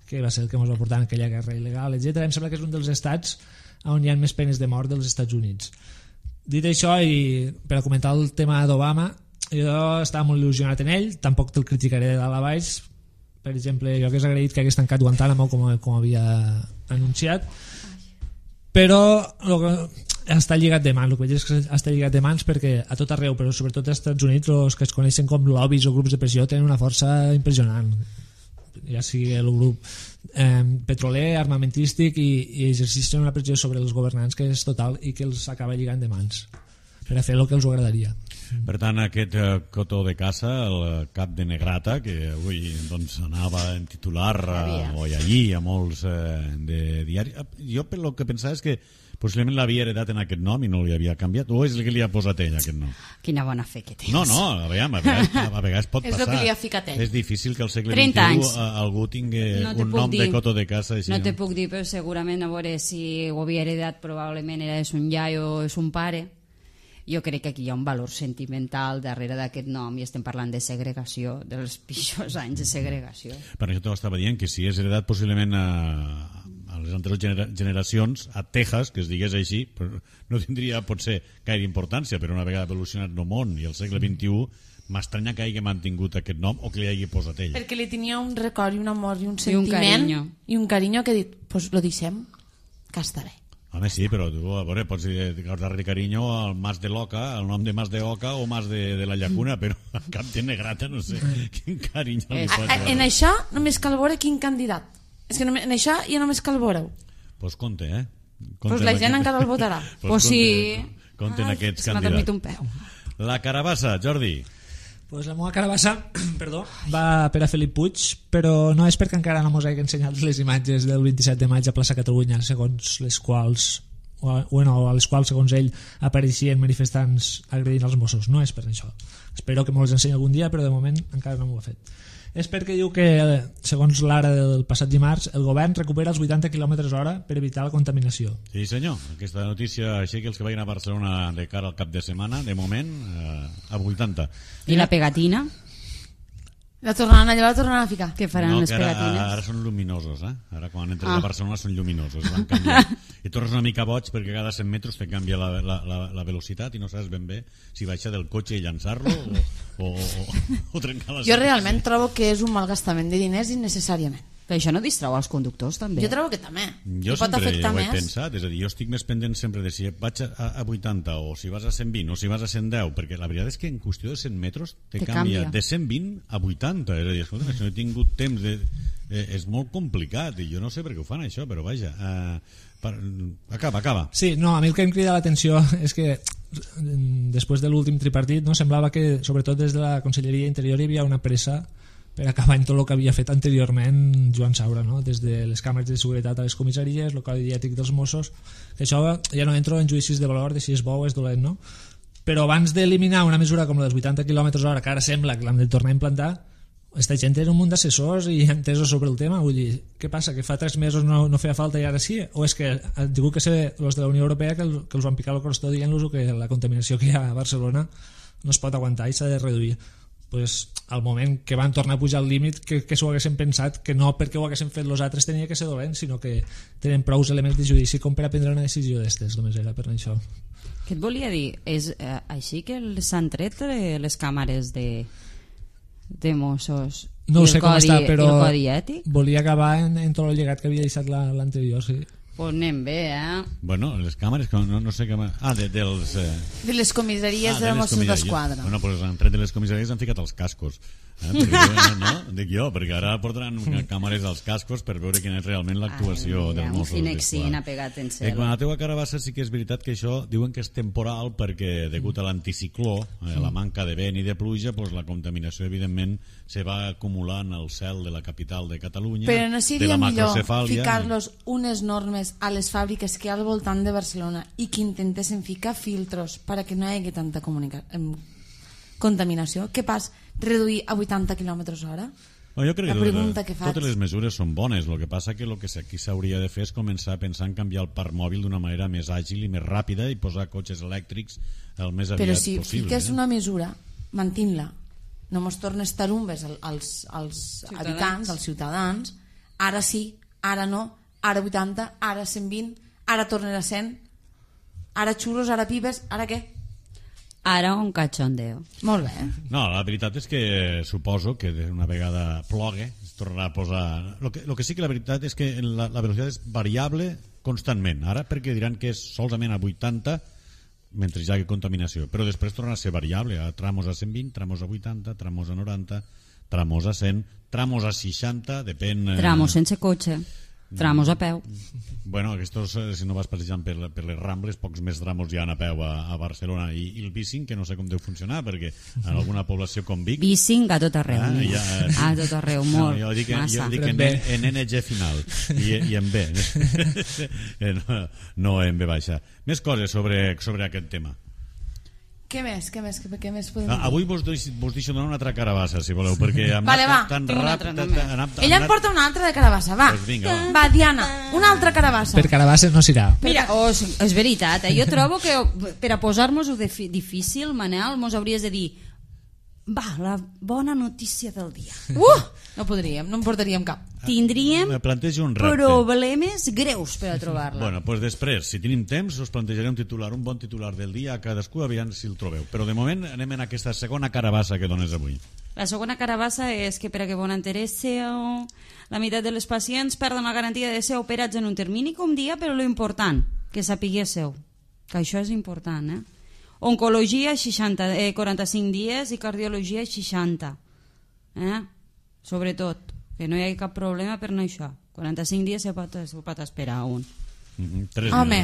que va ser el que ens va portar en aquella guerra il·legal, etc. Em sembla que és un dels estats on hi ha més penes de mort dels Estats Units. Dit això, i per a comentar el tema d'Obama, jo estava molt il·lusionat en ell, tampoc te'l criticaré de dalt a baix. Per exemple, jo hagués agraït que hagués tancat Guantánamo com havia anunciat, però està lligat de mans. El que veig és que està lligat de mans perquè a tot arreu, però sobretot als Estats Units, els que es coneixen com lobbies o grups de pressió tenen una força impressionant, ja sigui el grup petroler, armamentístic, i exerceixen una pressió sobre els governants que és total i que els acaba lligant de mans per a fer el que els agradaria. Per tant, aquest cotó de caça, el cap de Negrata, que avui doncs, anava en titular avui allí a molts de diari, jo el que pensava és que possiblement l'havia heredat en aquest nom i no li havia canviat, o és el que li ha posat ell aquest nom? Quina bona fe que tens. No, a vegades pot passar. És el que li ha ficat ell. És difícil que al segle XXI algú tingui un nom de cotó de caça així. No te puc dir, però segurament a veure si ho havia heredat, probablement era un iaio o és un pare. Jo crec que aquí hi ha un valor sentimental darrere d'aquest nom i estem parlant de segregació, dels pitjors anys de segregació. Per això t'ho dient que si és heredat possiblement a les anteriors generacions, a Texas, que es digués així, no tindria potser gaire importància, però una vegada evolucionat el món i el segle XXI, m'estranya que hagi mantingut aquest nom o que li hagi posat ell. Perquè li tenia un record i un amor i un sentiment i un carinyo que ha dit, pues lo deixem, que està bé. Home, sí, però tu, a veure, pots guardar-li carinyo al Mas de l'Oca, al nom de Mas de Oca o Mas de la Llacuna, però al cap de Negrata no sé quin carinyo li pot guardar. En això només cal veure quin candidat. És que en això ja només cal veure-ho. Pues compte, Pues la gent encara el votarà. Pues sí. Compte en aquests candidats. Se m'ha dormit un peu. La carabassa, Jordi. Pues la meva carabassa va per a Felip Puig, però no és perquè encara no mos hagi ensenyat les imatges del 27 de maig a plaça Catalunya, segons les quals a les quals segons ell apareixien manifestants agredint els Mossos. No és per això. Espero que mos les ensenyi algun dia, però de moment encara no m'ho ha fet. és perquè diu que, segons l'ara del passat dimarts, el govern recupera els 80 km/h per evitar la contaminació. Sí, senyor. Aquesta notícia, així que els que vagin a Barcelona de cara al cap de setmana, de moment, a 80. I la pegatina? La tornaran allò, la tornaran a ficar. Què faran No, les que pegatines? ara són luminosos, eh? Ara quan entres a Barcelona són lluminosos, van canviar. I tornes una mica boig perquè cada 100 metres te canvia la velocitat i no saps ben bé si baixar del cotxe i llançar-lo o trencar la... Jo realment trobo que és un malgastament de diners innecessàriament. Però això no distrau els conductors, també? Jo trobo que també. Jo Que pot sempre afectar ho he més. pensat, és a dir, jo estic més pendent sempre de si vaig a 80 o si vas a 120 o si vas a 110, perquè la veritat és que en qüestió de 100 metres te canvia de 120 a 80, és a dir, escolta, si no he tingut temps és molt complicat i jo no sé per què ho fan això, però vaja, acaba. Sí, no, a mi el que em crida l'atenció és que després de l'últim tripartit, no, semblava que sobretot des de la Conselleria d'Interior hi havia una pressa per acabar en tot el que havia fet anteriorment Joan Saura, no? Des de les càmeres de seguretat a les comissaries, el codi ètic dels Mossos, que això ja no entro en judicis de valor de si és bo o és dolent, no? Però abans d'eliminar una mesura com la dels 80 km/h, que ara sembla que l'hem de tornar a implantar, aquesta gent era un munt d'assessors i entesos sobre el tema. Vull dir, què passa, que fa 3 mesos no feia falta i ara sí? O és que han tingut que ser els de la Unió Europea que els van picar el crostó dient-los que la contaminació que hi ha a Barcelona no es pot aguantar i s'ha de reduir? Pues, al moment que van tornar a pujar el límit que s'ho haguessin pensat que no perquè ho haguessin fet els altres tenia que ser dolent, sinó que tenen prou elements de judici com per a prendre una decisió d'estes, només era per això. Què et volia dir? És així que s'han tret les càmeres de Mossos No i sé el com codi, està, però i el codi ètic? volia acabar en tot el llegat que havia deixat l'anterior, sí. Pues anem bé, Bueno, les càmeres, no sé què... dels... De les comissaries de Mossos d'Esquadra. Bueno, pues han tret de les comissaries han ficat els cascos. Perquè, no? Dic jo, perquè ara portaran càmeres als cascos per veure quina és realment l'actuació dels Mossos d'Esquadra. Pegat en cel. Quan a la teua carabassa sí que és veritat que això diuen que és temporal perquè degut a l'anticicló, la manca de vent i de pluja, pues la contaminació evidentment se va acumulant al cel de la capital de Catalunya, Però no de seria la millor macrocefàlia. ficar-los unes normes a les fàbriques que hi ha al voltant de Barcelona i que intentessin ficar filtros perquè no hi hagi tanta contaminació? Què pas reduir a 80 km/h? Jo crec La pregunta que que faig. totes les mesures són bones, el que passa que el que aquí s'hauria de fer és començar a pensar en canviar el parc mòbil d'una manera més àgil i més ràpida i posar cotxes elèctrics el més aviat Però si possible. fiques una mesura, mantint-la, no mos tornes tarumbes als habitants, als ciutadans, ara sí, ara no, ara 80, ara 120, ara tornes a 100, ara xurros, ara pibes, ara què? Ara un cachondeo. Molt bé. No, la veritat és que suposo que una vegada plogue es tornarà a posar... Lo que sí que la veritat és que la velocitat és variable constantment. Ara perquè diran que és solament a 80 mentre hi hagi contaminació, però després tornarà a ser variable, a tramos a 120, tramos a 80, tramos a 90, tramos a 100, tramos a 60, depèn... Tramos sense cotxe, tramos a peu. Bueno, aquestos, si no vas passejant per les Rambles, pocs més tramos hi ha a peu a Barcelona, i el bicing, que no sé com deu funcionar, perquè en alguna població com Vic... Bicing a tot arreu. A tot arreu, molt. Jo dic massa. en NG final, i en B. No en B baixa. Més coses sobre aquest tema. Què més podem dir? Avui vos deixo donar una altra carabassa, si voleu, perquè hem Vale, va. anat tan Tinc una altra, ràpid... també. Ella em porta una altra de carabassa, va. Pues vinga, va. Va, Diana, una altra carabassa. Per carabasses no s'irà. Mira, és veritat, jo trobo que per a posar-nos-ho difícil, Manel, mos hauries de dir va, la bona notícia del dia. No podríem, no en portaríem cap. Tindríem Me plantejo un repte. problemes greus per a trobar-la. Bueno, doncs després, si tenim temps, us plantejaré un bon titular del dia a cadascú, aviam si el trobeu. Però de moment anem en aquesta segona carabassa que dones avui. La segona carabassa és que per a que bon enteresseu, la meitat de les pacients perden la garantia de ser operats en un termini com dia, però lo important, que sapiguésseu, que això és important, Oncologia 45 dies i cardiologia 60. Sobretot, que no hi hagi cap problema per no això. 45 dies se pot esperar un. Home,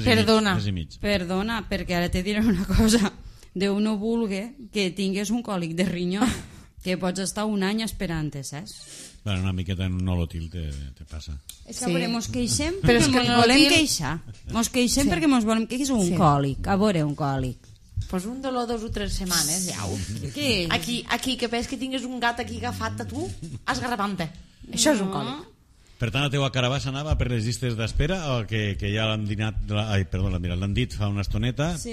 perdona. Mes i mig. Perdona, perquè ara te diré una cosa. Déu no vulgui que tingues un còlic de rinyó, que pots estar un any esperant, saps? Bueno, una miqueta en un nolotil te passa. És que a veure, mos queixem Però perquè és que mos el volem nolotil- queixar. Mos queixem perquè mos volem queixar. És un còlic, a veure, un còlic. Pues un dolor 2 o 3 setmanes, ja. Aquí, que veus que tingues un gat aquí agafat a tu, esgarrapant-te. Això és un còlic. Per tant, la teua carabassa anava per les llistes d'espera o que ja l'han dit fa una estoneta? Sí,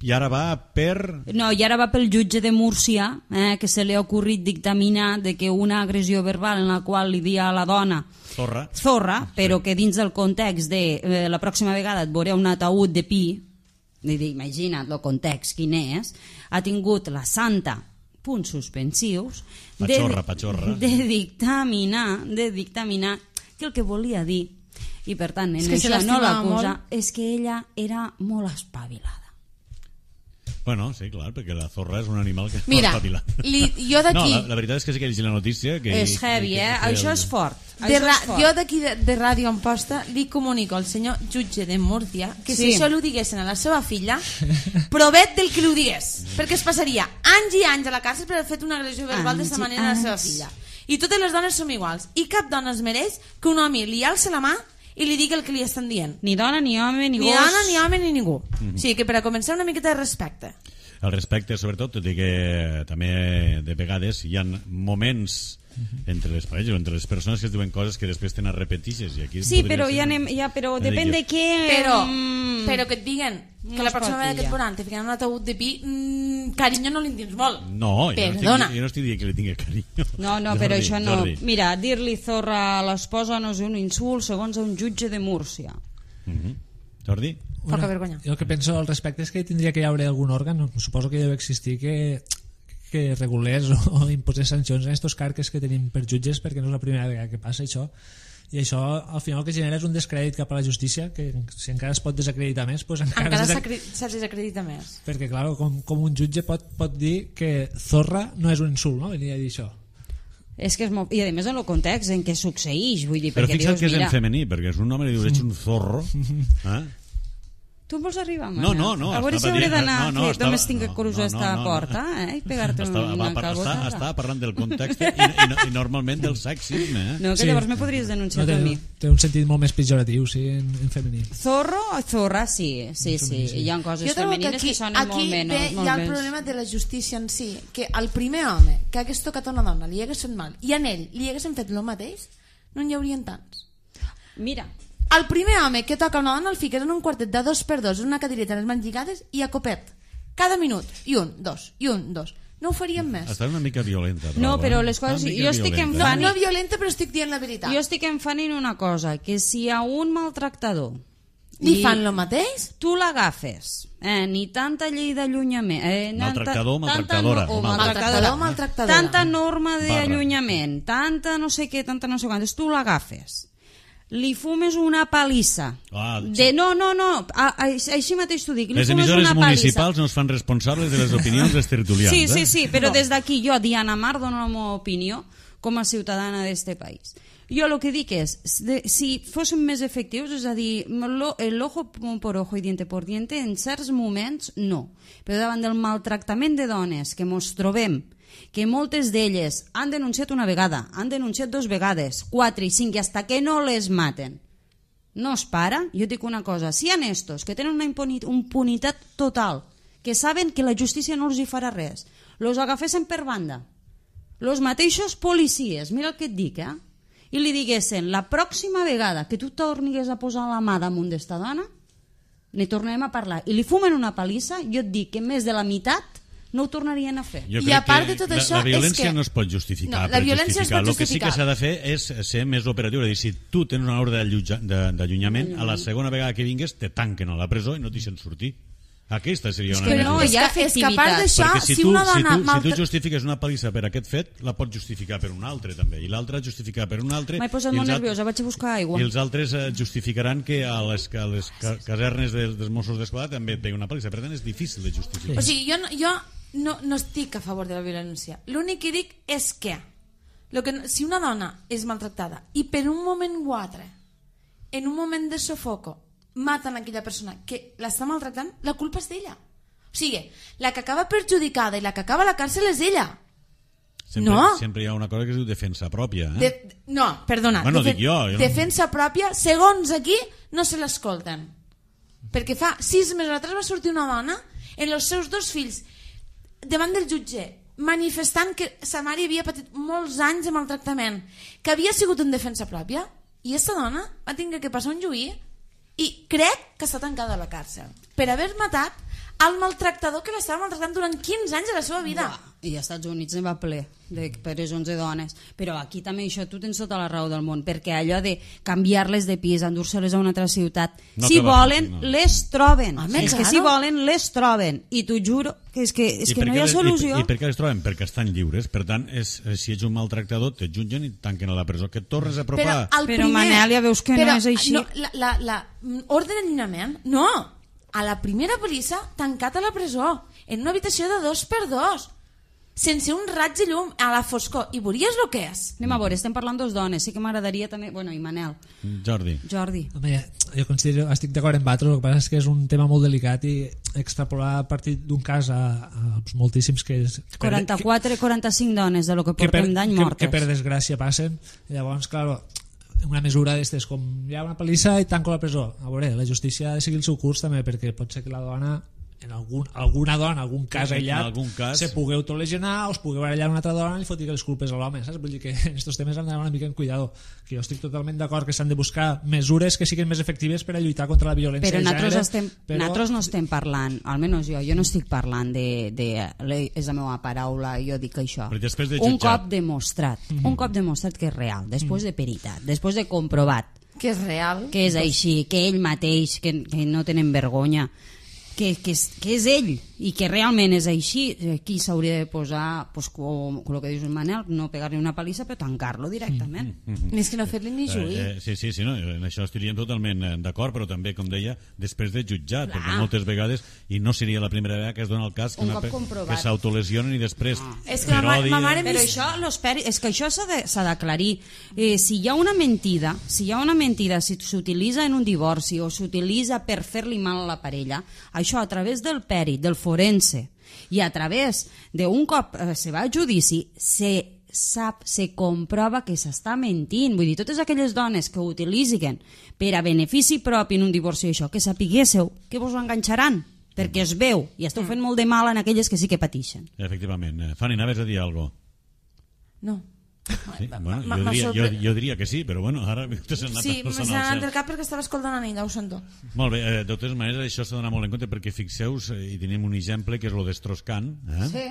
I ara va per... No, i ara va pel jutge de Múrcia, que se li ha ocorrit dictaminar de que una agressió verbal en la qual li dia a la dona zorra, però que dins del context de la pròxima vegada et veuré un ataúd de pi, imagina't el context quin és, ha tingut la santa punts suspensius patxorra de dictaminar que el que volia dir, i per tant en això no l'acusa, és que ella era molt espavilada. Bueno, sí, clar, perquè la zorra és un animal que mira, no espavila. Jo d'aquí... No, la veritat és que sí que he llegit la notícia... És heavy, això és fort. Jo d'aquí de Ràdio Amposta li comunico al senyor jutge de Múrcia que si això li diguessin a la seva filla, provet del que li digués, perquè es passaria anys i anys a la càrcel per haver fet una agressió verbal d'aquesta manera a la seva filla. I totes les dones som iguals, i cap dona es mereix que un home li alci la mà i li digui el que li estan dient. Ni dona, ni home, ni gos. Ni dona, ni home, ni ningú. O sigui que per a començar una miqueta de respecte. El respecte, sobretot, tot i que també de vegades hi ha moments entre les parelles o entre les persones que es diuen coses que després tenen repetixes. I aquí sí, però però depèn de què... Però que et diguen que la pròxima vegada que et veuran te ficaran un ataúd de pi, carinyo no li tens molt. No, jo no estic dient que li tingui carinyo. No, però això no... Mira, dir-li zorra a l'esposa no és un insult segons un jutge de Múrcia. Jordi? Poca vergonya. Jo el que penso al respecte és que tindria que hi haver algun òrgan, suposo que deu existir, que regulés o imposés sancions a aquests carques que tenim per jutges, perquè no és la primera vegada que passa això, i això al final el que genera és un descrèdit cap a la justícia, que si encara es pot desacreditar més, pues encara se desacredita més, perquè clar, com un jutge pot dir que zorra no és un insult, no? Venia a dir això. És que és molt... I a més en el context en què succeeix, vull dir, però perquè fixa't dius, que és en femení, perquè és un home i dius ets un zorro, Tu em vols arribar, mana? No. A veure si hauré d'anar només tinc que cruzar esta porta i pegar-te una calbotada. Estava parlant del context i normalment del sexisme. No, que llavors me podries denunciar a mi. Té un sentit molt més pejoratiu, sí, en femení. Zorro o zorra, sí. Hi ha coses femenines que sonen molt menys. Aquí hi ha el problema de la justícia en si, que al primer home que hagués tocat a una dona li hagués fet mal i a ell li haguessin fet el mateix, no n'hi haurien tants. Mira, el primer home que toca una dona el fiques en un quartet de 2x2 en una cadireta en les mans lligades i a copet cada minut, i un, dos no ho faríem més. Està una mica violenta però les coses, jo estic enfant no violenta, però estic dient la veritat. Jo estic enfant en una cosa, que si a un maltractador li fan el mateix, tu l'agafes, ni tanta llei d'allunyament, maltractador, maltractadora, tanta norma d'allunyament, tanta no sé què, tanta no sé quantes, tu l'agafes, li fumes una palissa així mateix t'ho dic, les emissores municipals no es fan responsables de les opinions dels tertulians. Sí, però des d'aquí jo, Diana Mar, dono la meva opinió com a ciutadana d'este país. Jo el que dic és, si fóssim més efectius, és a dir, el ojo por ojo i diente por diente, en certs moments no, però davant del maltractament de dones que mos trobem, que moltes d'elles han denunciat una vegada, han denunciat 2 vegades, 4 i 5, i hasta que no les maten no es para. Jo dic una cosa, si hi ha estos que tenen una impunitat total, que saben que la justícia no els hi farà res, los agafessin per banda, los mateixos policies, mira el que et dic, i li diguessin, la pròxima vegada que tu tornigues a posar la mà damunt d'esta dona, ne tornem a parlar, i li fumen una palissa, jo et dic que més de la meitat no ho tornarien a fer. Jo crec que tot això la violència no es pot justificar. La violència es pot justificar. El que sí que s'ha de fer és ser més operatiu. És dir, si tu tens una ordre d'allunyament, a la segona vegada que vingues te tanquen a la presó i no t'hi sents sortir. Aquesta seria una mesura. No, hi ha efectivitat. Perquè si tu justifiques una palissa per aquest fet, la pots justificar per un altre també, i l'altre justificar per un altre. M'he posat molt nerviosa, vaig a buscar aigua. I els altres justificaran que a les casernes dels Mossos d'Esquadra també et pegui una palissa. Per tant, és difícil de justificar. O sigui, jo no estic a favor de la violència. L'únic que dic és que si una dona és maltractada i per un moment o altre, en un moment de sofoco, maten aquella persona que l'està maltractant, la culpa és d'ella. O sigui, la que acaba perjudicada i la que acaba a la càrcel és ella. Sempre hi ha una cosa que es diu defensa pròpia. No, perdona. Bueno, dic jo. Defensa pròpia, segons aquí, no se l'escolten. Perquè fa 6 mesos atrás va sortir una dona en els seus 2 fills davant del jutge, manifestant que sa mare havia patit molts anys de maltractament, que havia sigut en defensa pròpia, i aquesta dona va tenir que passar un juí i crec que està tancada a la càrcel per haver matat el maltractador que l'estava maltractant durant 15 anys de la seva vida. I als Estats Units ne va ple de presons de dones, però aquí també això tu tens tota la raó del món, perquè allò de canviar-les de pis, endur-se-les a una altra ciutat, no, si volen no. les troben, és que claro. si volen les troben, i t'ho juro que és que no hi ha solució. I per què les troben? Perquè estan lliures, per tant si ets un maltractador te jutgen i tanquen a la presó, que et tornes a apropar. Però Manel, ja veus que no és així. No, ordre d'allunyament, no, a la primera polissa tancat a la presó en una habitació de 2x2 sense un raig de llum a la foscor, i veuries el que és. Anem a veure, estem parlant 2 dones, sí que m'agradaria també, bueno, i Manel. Jordi. Home, jo considero, estic d'acord amb vosaltres, el que passa és que és un tema molt delicat i extrapolar a partir d'un cas a moltíssims que... 45 dones de lo que portem d'any mortes. Que per desgràcia passen, llavors, clar, una mesura d'estes, com hi ha una palissa i tanco la presó. A veure, la justícia ha de seguir el seu curs també, perquè pot ser que la dona, en alguna dona, algun cas aïllat, se pugui autolesionar o es pugui barallar una altra dona i li foti les culpes a l'home, saps? Vull dir que en aquests temes han d'anar una mica en cuidado, que jo estic totalment d'acord que s'han de buscar mesures que siguin més efectives per a lluitar contra la violència però de gènere. Nosaltres no estem parlant, almenys jo no estic parlant és la meva paraula, jo dic això, un cop demostrat que és real, després de peritat, després de comprovat que és real, que és així, que ell mateix, que no tenen vergonya, que és ell i que realment és així, aquí s'hauria de posar, pues, com el que dius el Manel, no pegar-li una palissa però tancar-lo directament. Més que no fer-li ni juí. Sí, no, en això estiríem totalment d'acord, però també, com deia, després de jutjat, perquè moltes vegades, i no seria la primera vegada que es dona el cas que s'autolesionen i després és que ma mare però això, és que això s'ha d'aclarir. Si hi ha una mentida, si s'utilitza en un divorci o s'utilitza per fer-li mal a la parella, això a través del pèrit, del forense, i a través d'un cop se va a judici, se comprova que s'està mentint. Vull dir, totes aquelles dones que ho utilitzen per a benefici propi en un divorci, això, que sapiguéssiu que vos ho enganxaran, perquè es veu i esteu fent molt de mal en aquelles que sí que pateixen. Efectivament. Fanny, anaves a dir alguna cosa? No. Sí? Bueno, jo diria que sí, però bueno, ara sí, m'ha anat del cap perquè estava escoltant a ella, ho sento. Molt bé, de totes maneres això s'ha d'anar molt en compte, perquè fixeu-vos, i tenim un exemple que és el d'Estroscan, sí,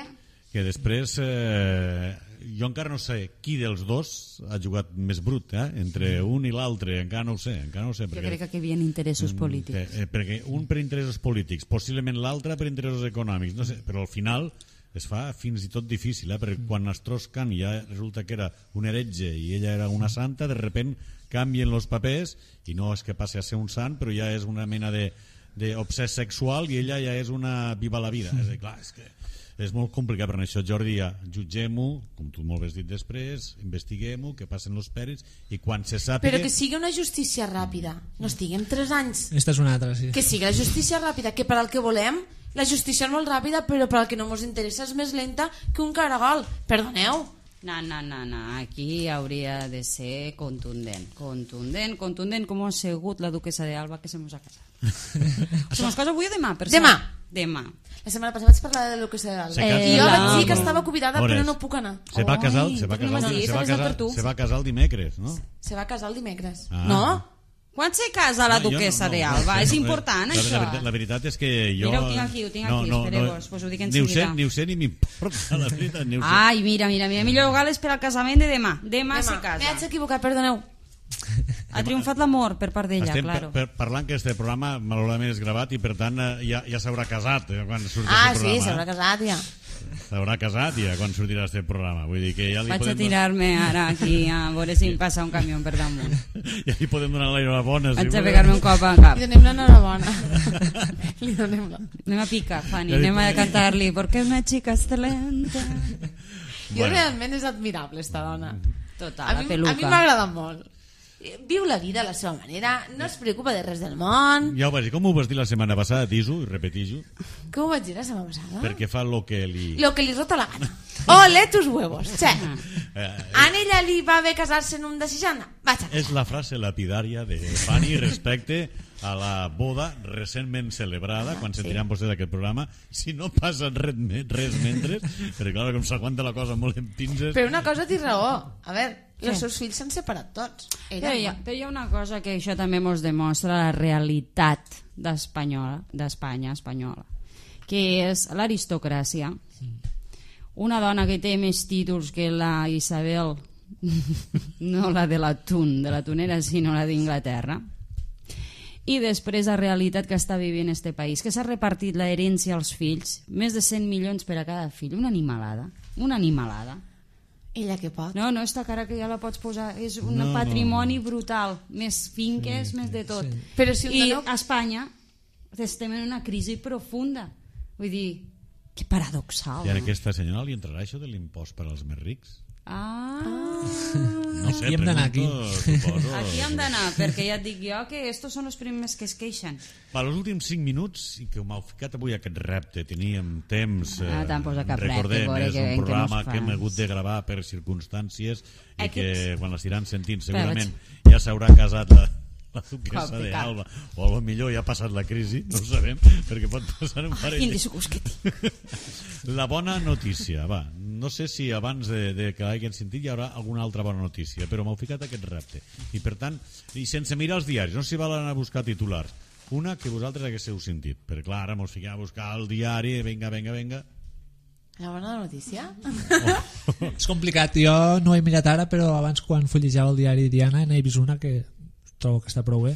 que després jo encara no sé qui dels dos ha jugat més brut, entre un i l'altre, encara no ho sé perquè, jo crec que hi havia interessos polítics, perquè un per interessos polítics, possiblement l'altre per interessos econòmics, no sé, però al final es fa fins i tot difícil, perquè quan Strauss-Kahn ja resulta que era un heretge i ella era una santa, de repent canvien els papers i no és que passi a ser un sant, però ja és una mena d'obsès sexual i ella ja és una viva la vida. És a dir, clar, és que és molt complicat, però en això, Jordi, ja jutgem-ho, com tu molt bé has dit després, investiguem-ho, que passen els pèrits i quan se sàpiga... Però que sigui una justícia ràpida, no estiguem 3 anys. Esta és una altra, sí. Que sigui la justícia ràpida, que per al que volem la justícia és molt ràpida, però per al que no ens interessa és més lenta que un caragol. Perdoneu. No, aquí hauria de ser contundent, com ha sigut la duquesa d'Alba que se mos ha casat. Se mos casa avui o demà? Demà. La setmana passada vaig parlar de la duquesa d'Alba i jo vaig dir que estava convidada però no puc anar. Se va casar el dimecres, no? Se va casar el dimecres. No? Quan se casa la duquesa d'Alba? És important, això. La veritat és que jo... Mira, ho tinc aquí, espereu-vos, us ho dic en seguida. Ni ho sé ni m'importa, la veritat, ni ho sé. Ai, mira, millor gales per al casament de demà. Demà se casa. M'haig equivocat, perdoneu. Ha triomfat l'amor per part d'ella, claro. Estem parlant que este programa malauradament és gravat i per tant ja s'haurà casat quan surti aquest programa. Sí, s'haurà casat ja. S'haurà casat ja quan sortirà aquest programa. Vull dir que ja li vaig podem... a tirar-me ara aquí a veure si em passa un camió per damunt. Ja li podem donar l'enhorabona. Vaig a pegar-me un cop al cap. Li donem l'enhorabona. Li donem la. Anem a picar, Fanny, anem a cantar-li Porque una chica excelente. Jo realment és admirable esta dona. Total, la peluca. A mi m'agrada molt. Viu la vida a la seva manera, no es preocupa de res del món. Ja ho vas dir, com ho vas dir la setmana passada, Tiso, i repetix-ho? Com ho vaig dir la setmana passada? Perquè fa lo que li rota la gana. Ole tus huevos. Che. A ella li va bé casar-se en un de 60? Vaja. És la frase lapidària de Fanny respecte a la boda recentment celebrada, quan sentiran vostès aquest programa, si no passa res mentre, perquè clar, com s'aguanta la cosa molt en pinces... Però una cosa té raó. A veure, els seus fills s'han separat tots. Però hi ha una cosa que això també ens demostra la realitat d'Espanya espanyola, que és l'aristocràcia. Una dona que té més títols que la Isabel, no la de la tunera, sinó la d'Inglaterra. I després la realitat que està vivint este país, que s'ha repartit l'herència als fills, més de 100 milions per a cada fill, una animalada. Ella que pot. No, esta cara que ja la pots posar, és un patrimoni brutal, més finques, més de tot. Sí. Però si I a Espanya estem en una crisi profunda, vull dir, que paradoxal. I a aquesta senyora li entrarà això de l'impost per als més rics? No sé, aquí hem d'anar aquí. Suposo. Aquí hem d'anar, perquè ja et dic jo que estos són els primers que es queixen. Per als últims 5 minuts, i que m'heu ficat avui aquest repte, teníem temps, t'han posat cap recordem, repte, és un programa que hem hagut de gravar per circumstàncies i que quan l'estiran sentint segurament ja s'haurà casat la duquesa d'Alba, o potser ja ha passat la crisi, no ho sabem, perquè pot passar un parell. La bona notícia, va, no sé si abans de que hagin sentit hi haurà alguna altra bona notícia, però m'heu ficat aquest repte, i per tant, i sense mirar els diaris, no s'hi val anar a buscar titulars, una que vosaltres haguéssiu sentit, perquè clar, ara mos fiquem a buscar el diari, venga. La bona notícia? És complicat, jo no ho he mirat ara, però abans quan fullejava el diari Diana n'he vist una que trobo que està prou bé,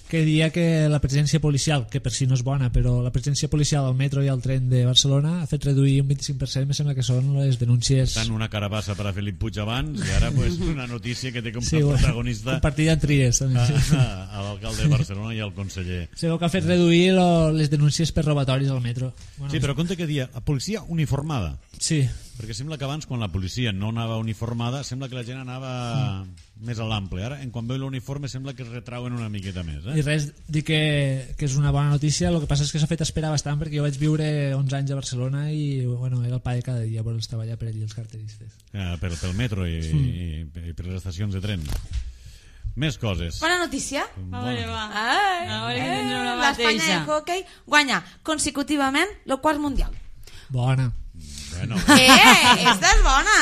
que dia que la presència policial, que per si no és bona, però la presència policial al metro i al tren de Barcelona ha fet reduir un 25%, me sembla que són les denúncies. Tant una carabassa per a Felip Puig abans, i ara pues, una notícia que té com a protagonista compartida en tries a l'alcalde de Barcelona i al conseller. Segur que ha fet reduir les denúncies per robatoris al metro. Sí, però compte que dia, policia uniformada. Sí. Perquè sembla que abans, quan la policia no anava uniformada, sembla que la gent anava més a l'ample. Ara, quan veu l'uniforme, sembla que es retrauen una miqueta més. I res, dic que és una bona notícia, el que passa és que s'ha fet esperar bastant, perquè jo vaig viure 11 anys a Barcelona i bueno, era el pa de cada dia per estar allà per allí els carteristes. Pel metro i per les estacions de tren. Més coses. Bona notícia. A veure, va. L'Espanya de hoquei guanya consecutivament el quart mundial. Bona. Bueno. Esta és bona.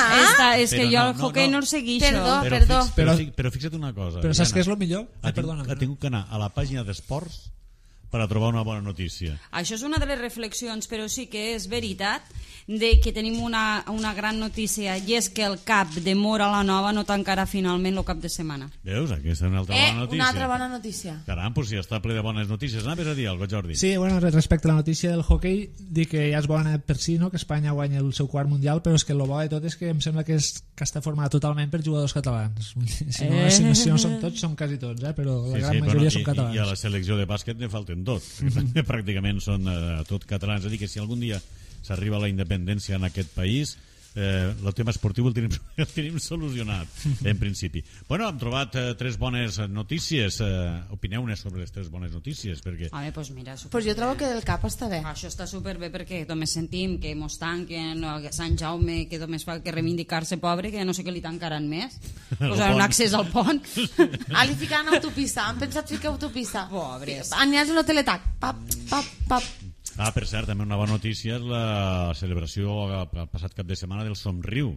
És que jo el hoquei no el segueixo. Perdó. Però fixa't una cosa. Però saps què és el millor? Ha tingut que anar a la pàgina d'esports per a trobar una bona notícia. Això és una de les reflexions, però sí que és veritat de que tenim una gran notícia, i és que el CAP de Móra la Nova no tancarà finalment el cap de setmana. Veus? Aquesta és una altra bona notícia. Una altra bona notícia. Caram, pues si està ple de bones notícies. Anaves a dir alguna cosa, Jordi? Sí, bueno, respecte a la notícia del hoquei, dic que ja és bona per si, no?, que Espanya guanya el seu quart mundial, però és que el bo de tot és que em sembla que està format totalment per jugadors catalans. Si no som tots, som quasi tots, però la gran majoria són catalans. I a la selecció de bàsquet ne falten dos, que pràcticament són tot catalans. És a dir, que si algun dia s'arriba a la independència en aquest país, el tema esportiu el tenim solucionat, en principi. Bueno, hem trobat 3 bones notícies. Opineu-ne sobre les 3 bones notícies, perquè... Home, doncs mira... Pues jo trobo que el CAP està bé. Això està superbé perquè només sentim que mos tanquen, que Sant Jaume, que només fa que reivindicar-se pobre, que no sé què li tancaran més. Posaran un accés al pont. Ali ficaran autopista, han pensat ficar autopista. Pobres. Aniràs en el teletac. Pap, pap, pap. Per cert, també una bona notícia és la celebració el passat cap de setmana del Somriu,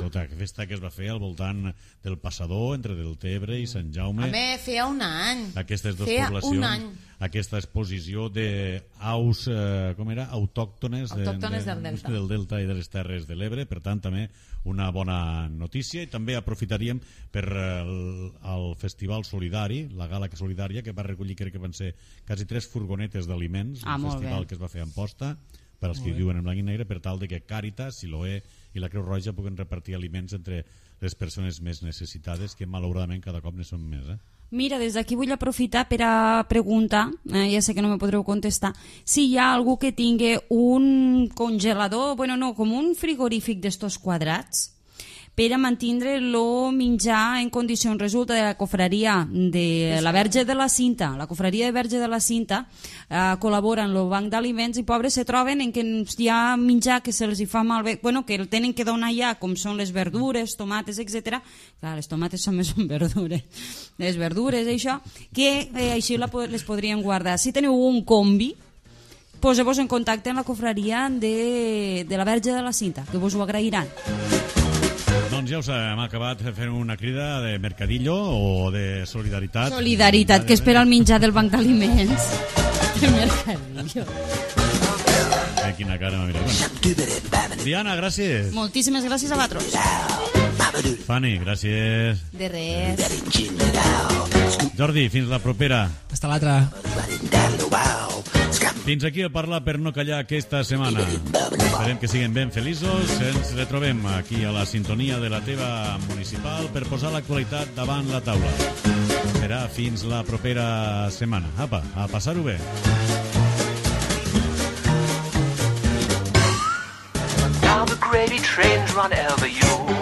tota aquesta festa que es va fer al voltant del passador entre Deltebre i Sant Jaume. Home, feia un any. Aquestes dues poblacions, aquesta exposició d'aus autòctones del Delta i de les Terres de l'Ebre, per tant també una bona notícia. I també aprofitaríem per el Festival Solidari, la gala solidària, que va recollir, crec que van ser quasi 3 furgonetes d'aliments, un festival que es va fer a Amposta, per als que viuen en blanc i negre, per tal de que Càritas, Siloé i la Creu Roja puguen repartir aliments entre les persones més necessitades, que malauradament cada cop ne són més. Mira, des d'aquí vull aprofitar per a preguntar, ja sé que no me podreu contestar, si hi ha algú que tingui un congelador, com un frigorífic d'estos quadrats, per a mantindre el menjar en condicions. Resulta de la cofraria de la Verge de la Cinta, la cofraria de Verge de la Cinta col·labora en el banc d'aliments i pobres se troben en que hi ha menjar que se'ls fa malbé, bueno, que el tenen que donar ja, com són les verdures, tomates, etc. Clar, les tomates també són verdures. Les verdures, això, que així les podrien guardar. Si teniu un combi, poseu-vos en contacte amb la cofraria de la Verge de la Cinta, que vos ho agrairan. Doncs ja us hem acabat fent una crida de mercadillo o de solidaritat. Solidaritat, que espera el menjar del banc d'aliments. De mercadillo. Quina cara m'ha mirat. Bueno. Diana, gràcies. Moltíssimes gràcies a vosaltres. Fanny, gràcies. De res. Jordi, fins la propera. Hasta l'altra. Fins aquí el Parlar per no callar aquesta setmana. Esperem que siguin ben feliços. Ens retrobem aquí a la sintonia de la teva municipal per posar l'actualitat davant la taula. Serà fins la propera setmana. Apa, a passar-ho bé. Now the gravy trains run over you.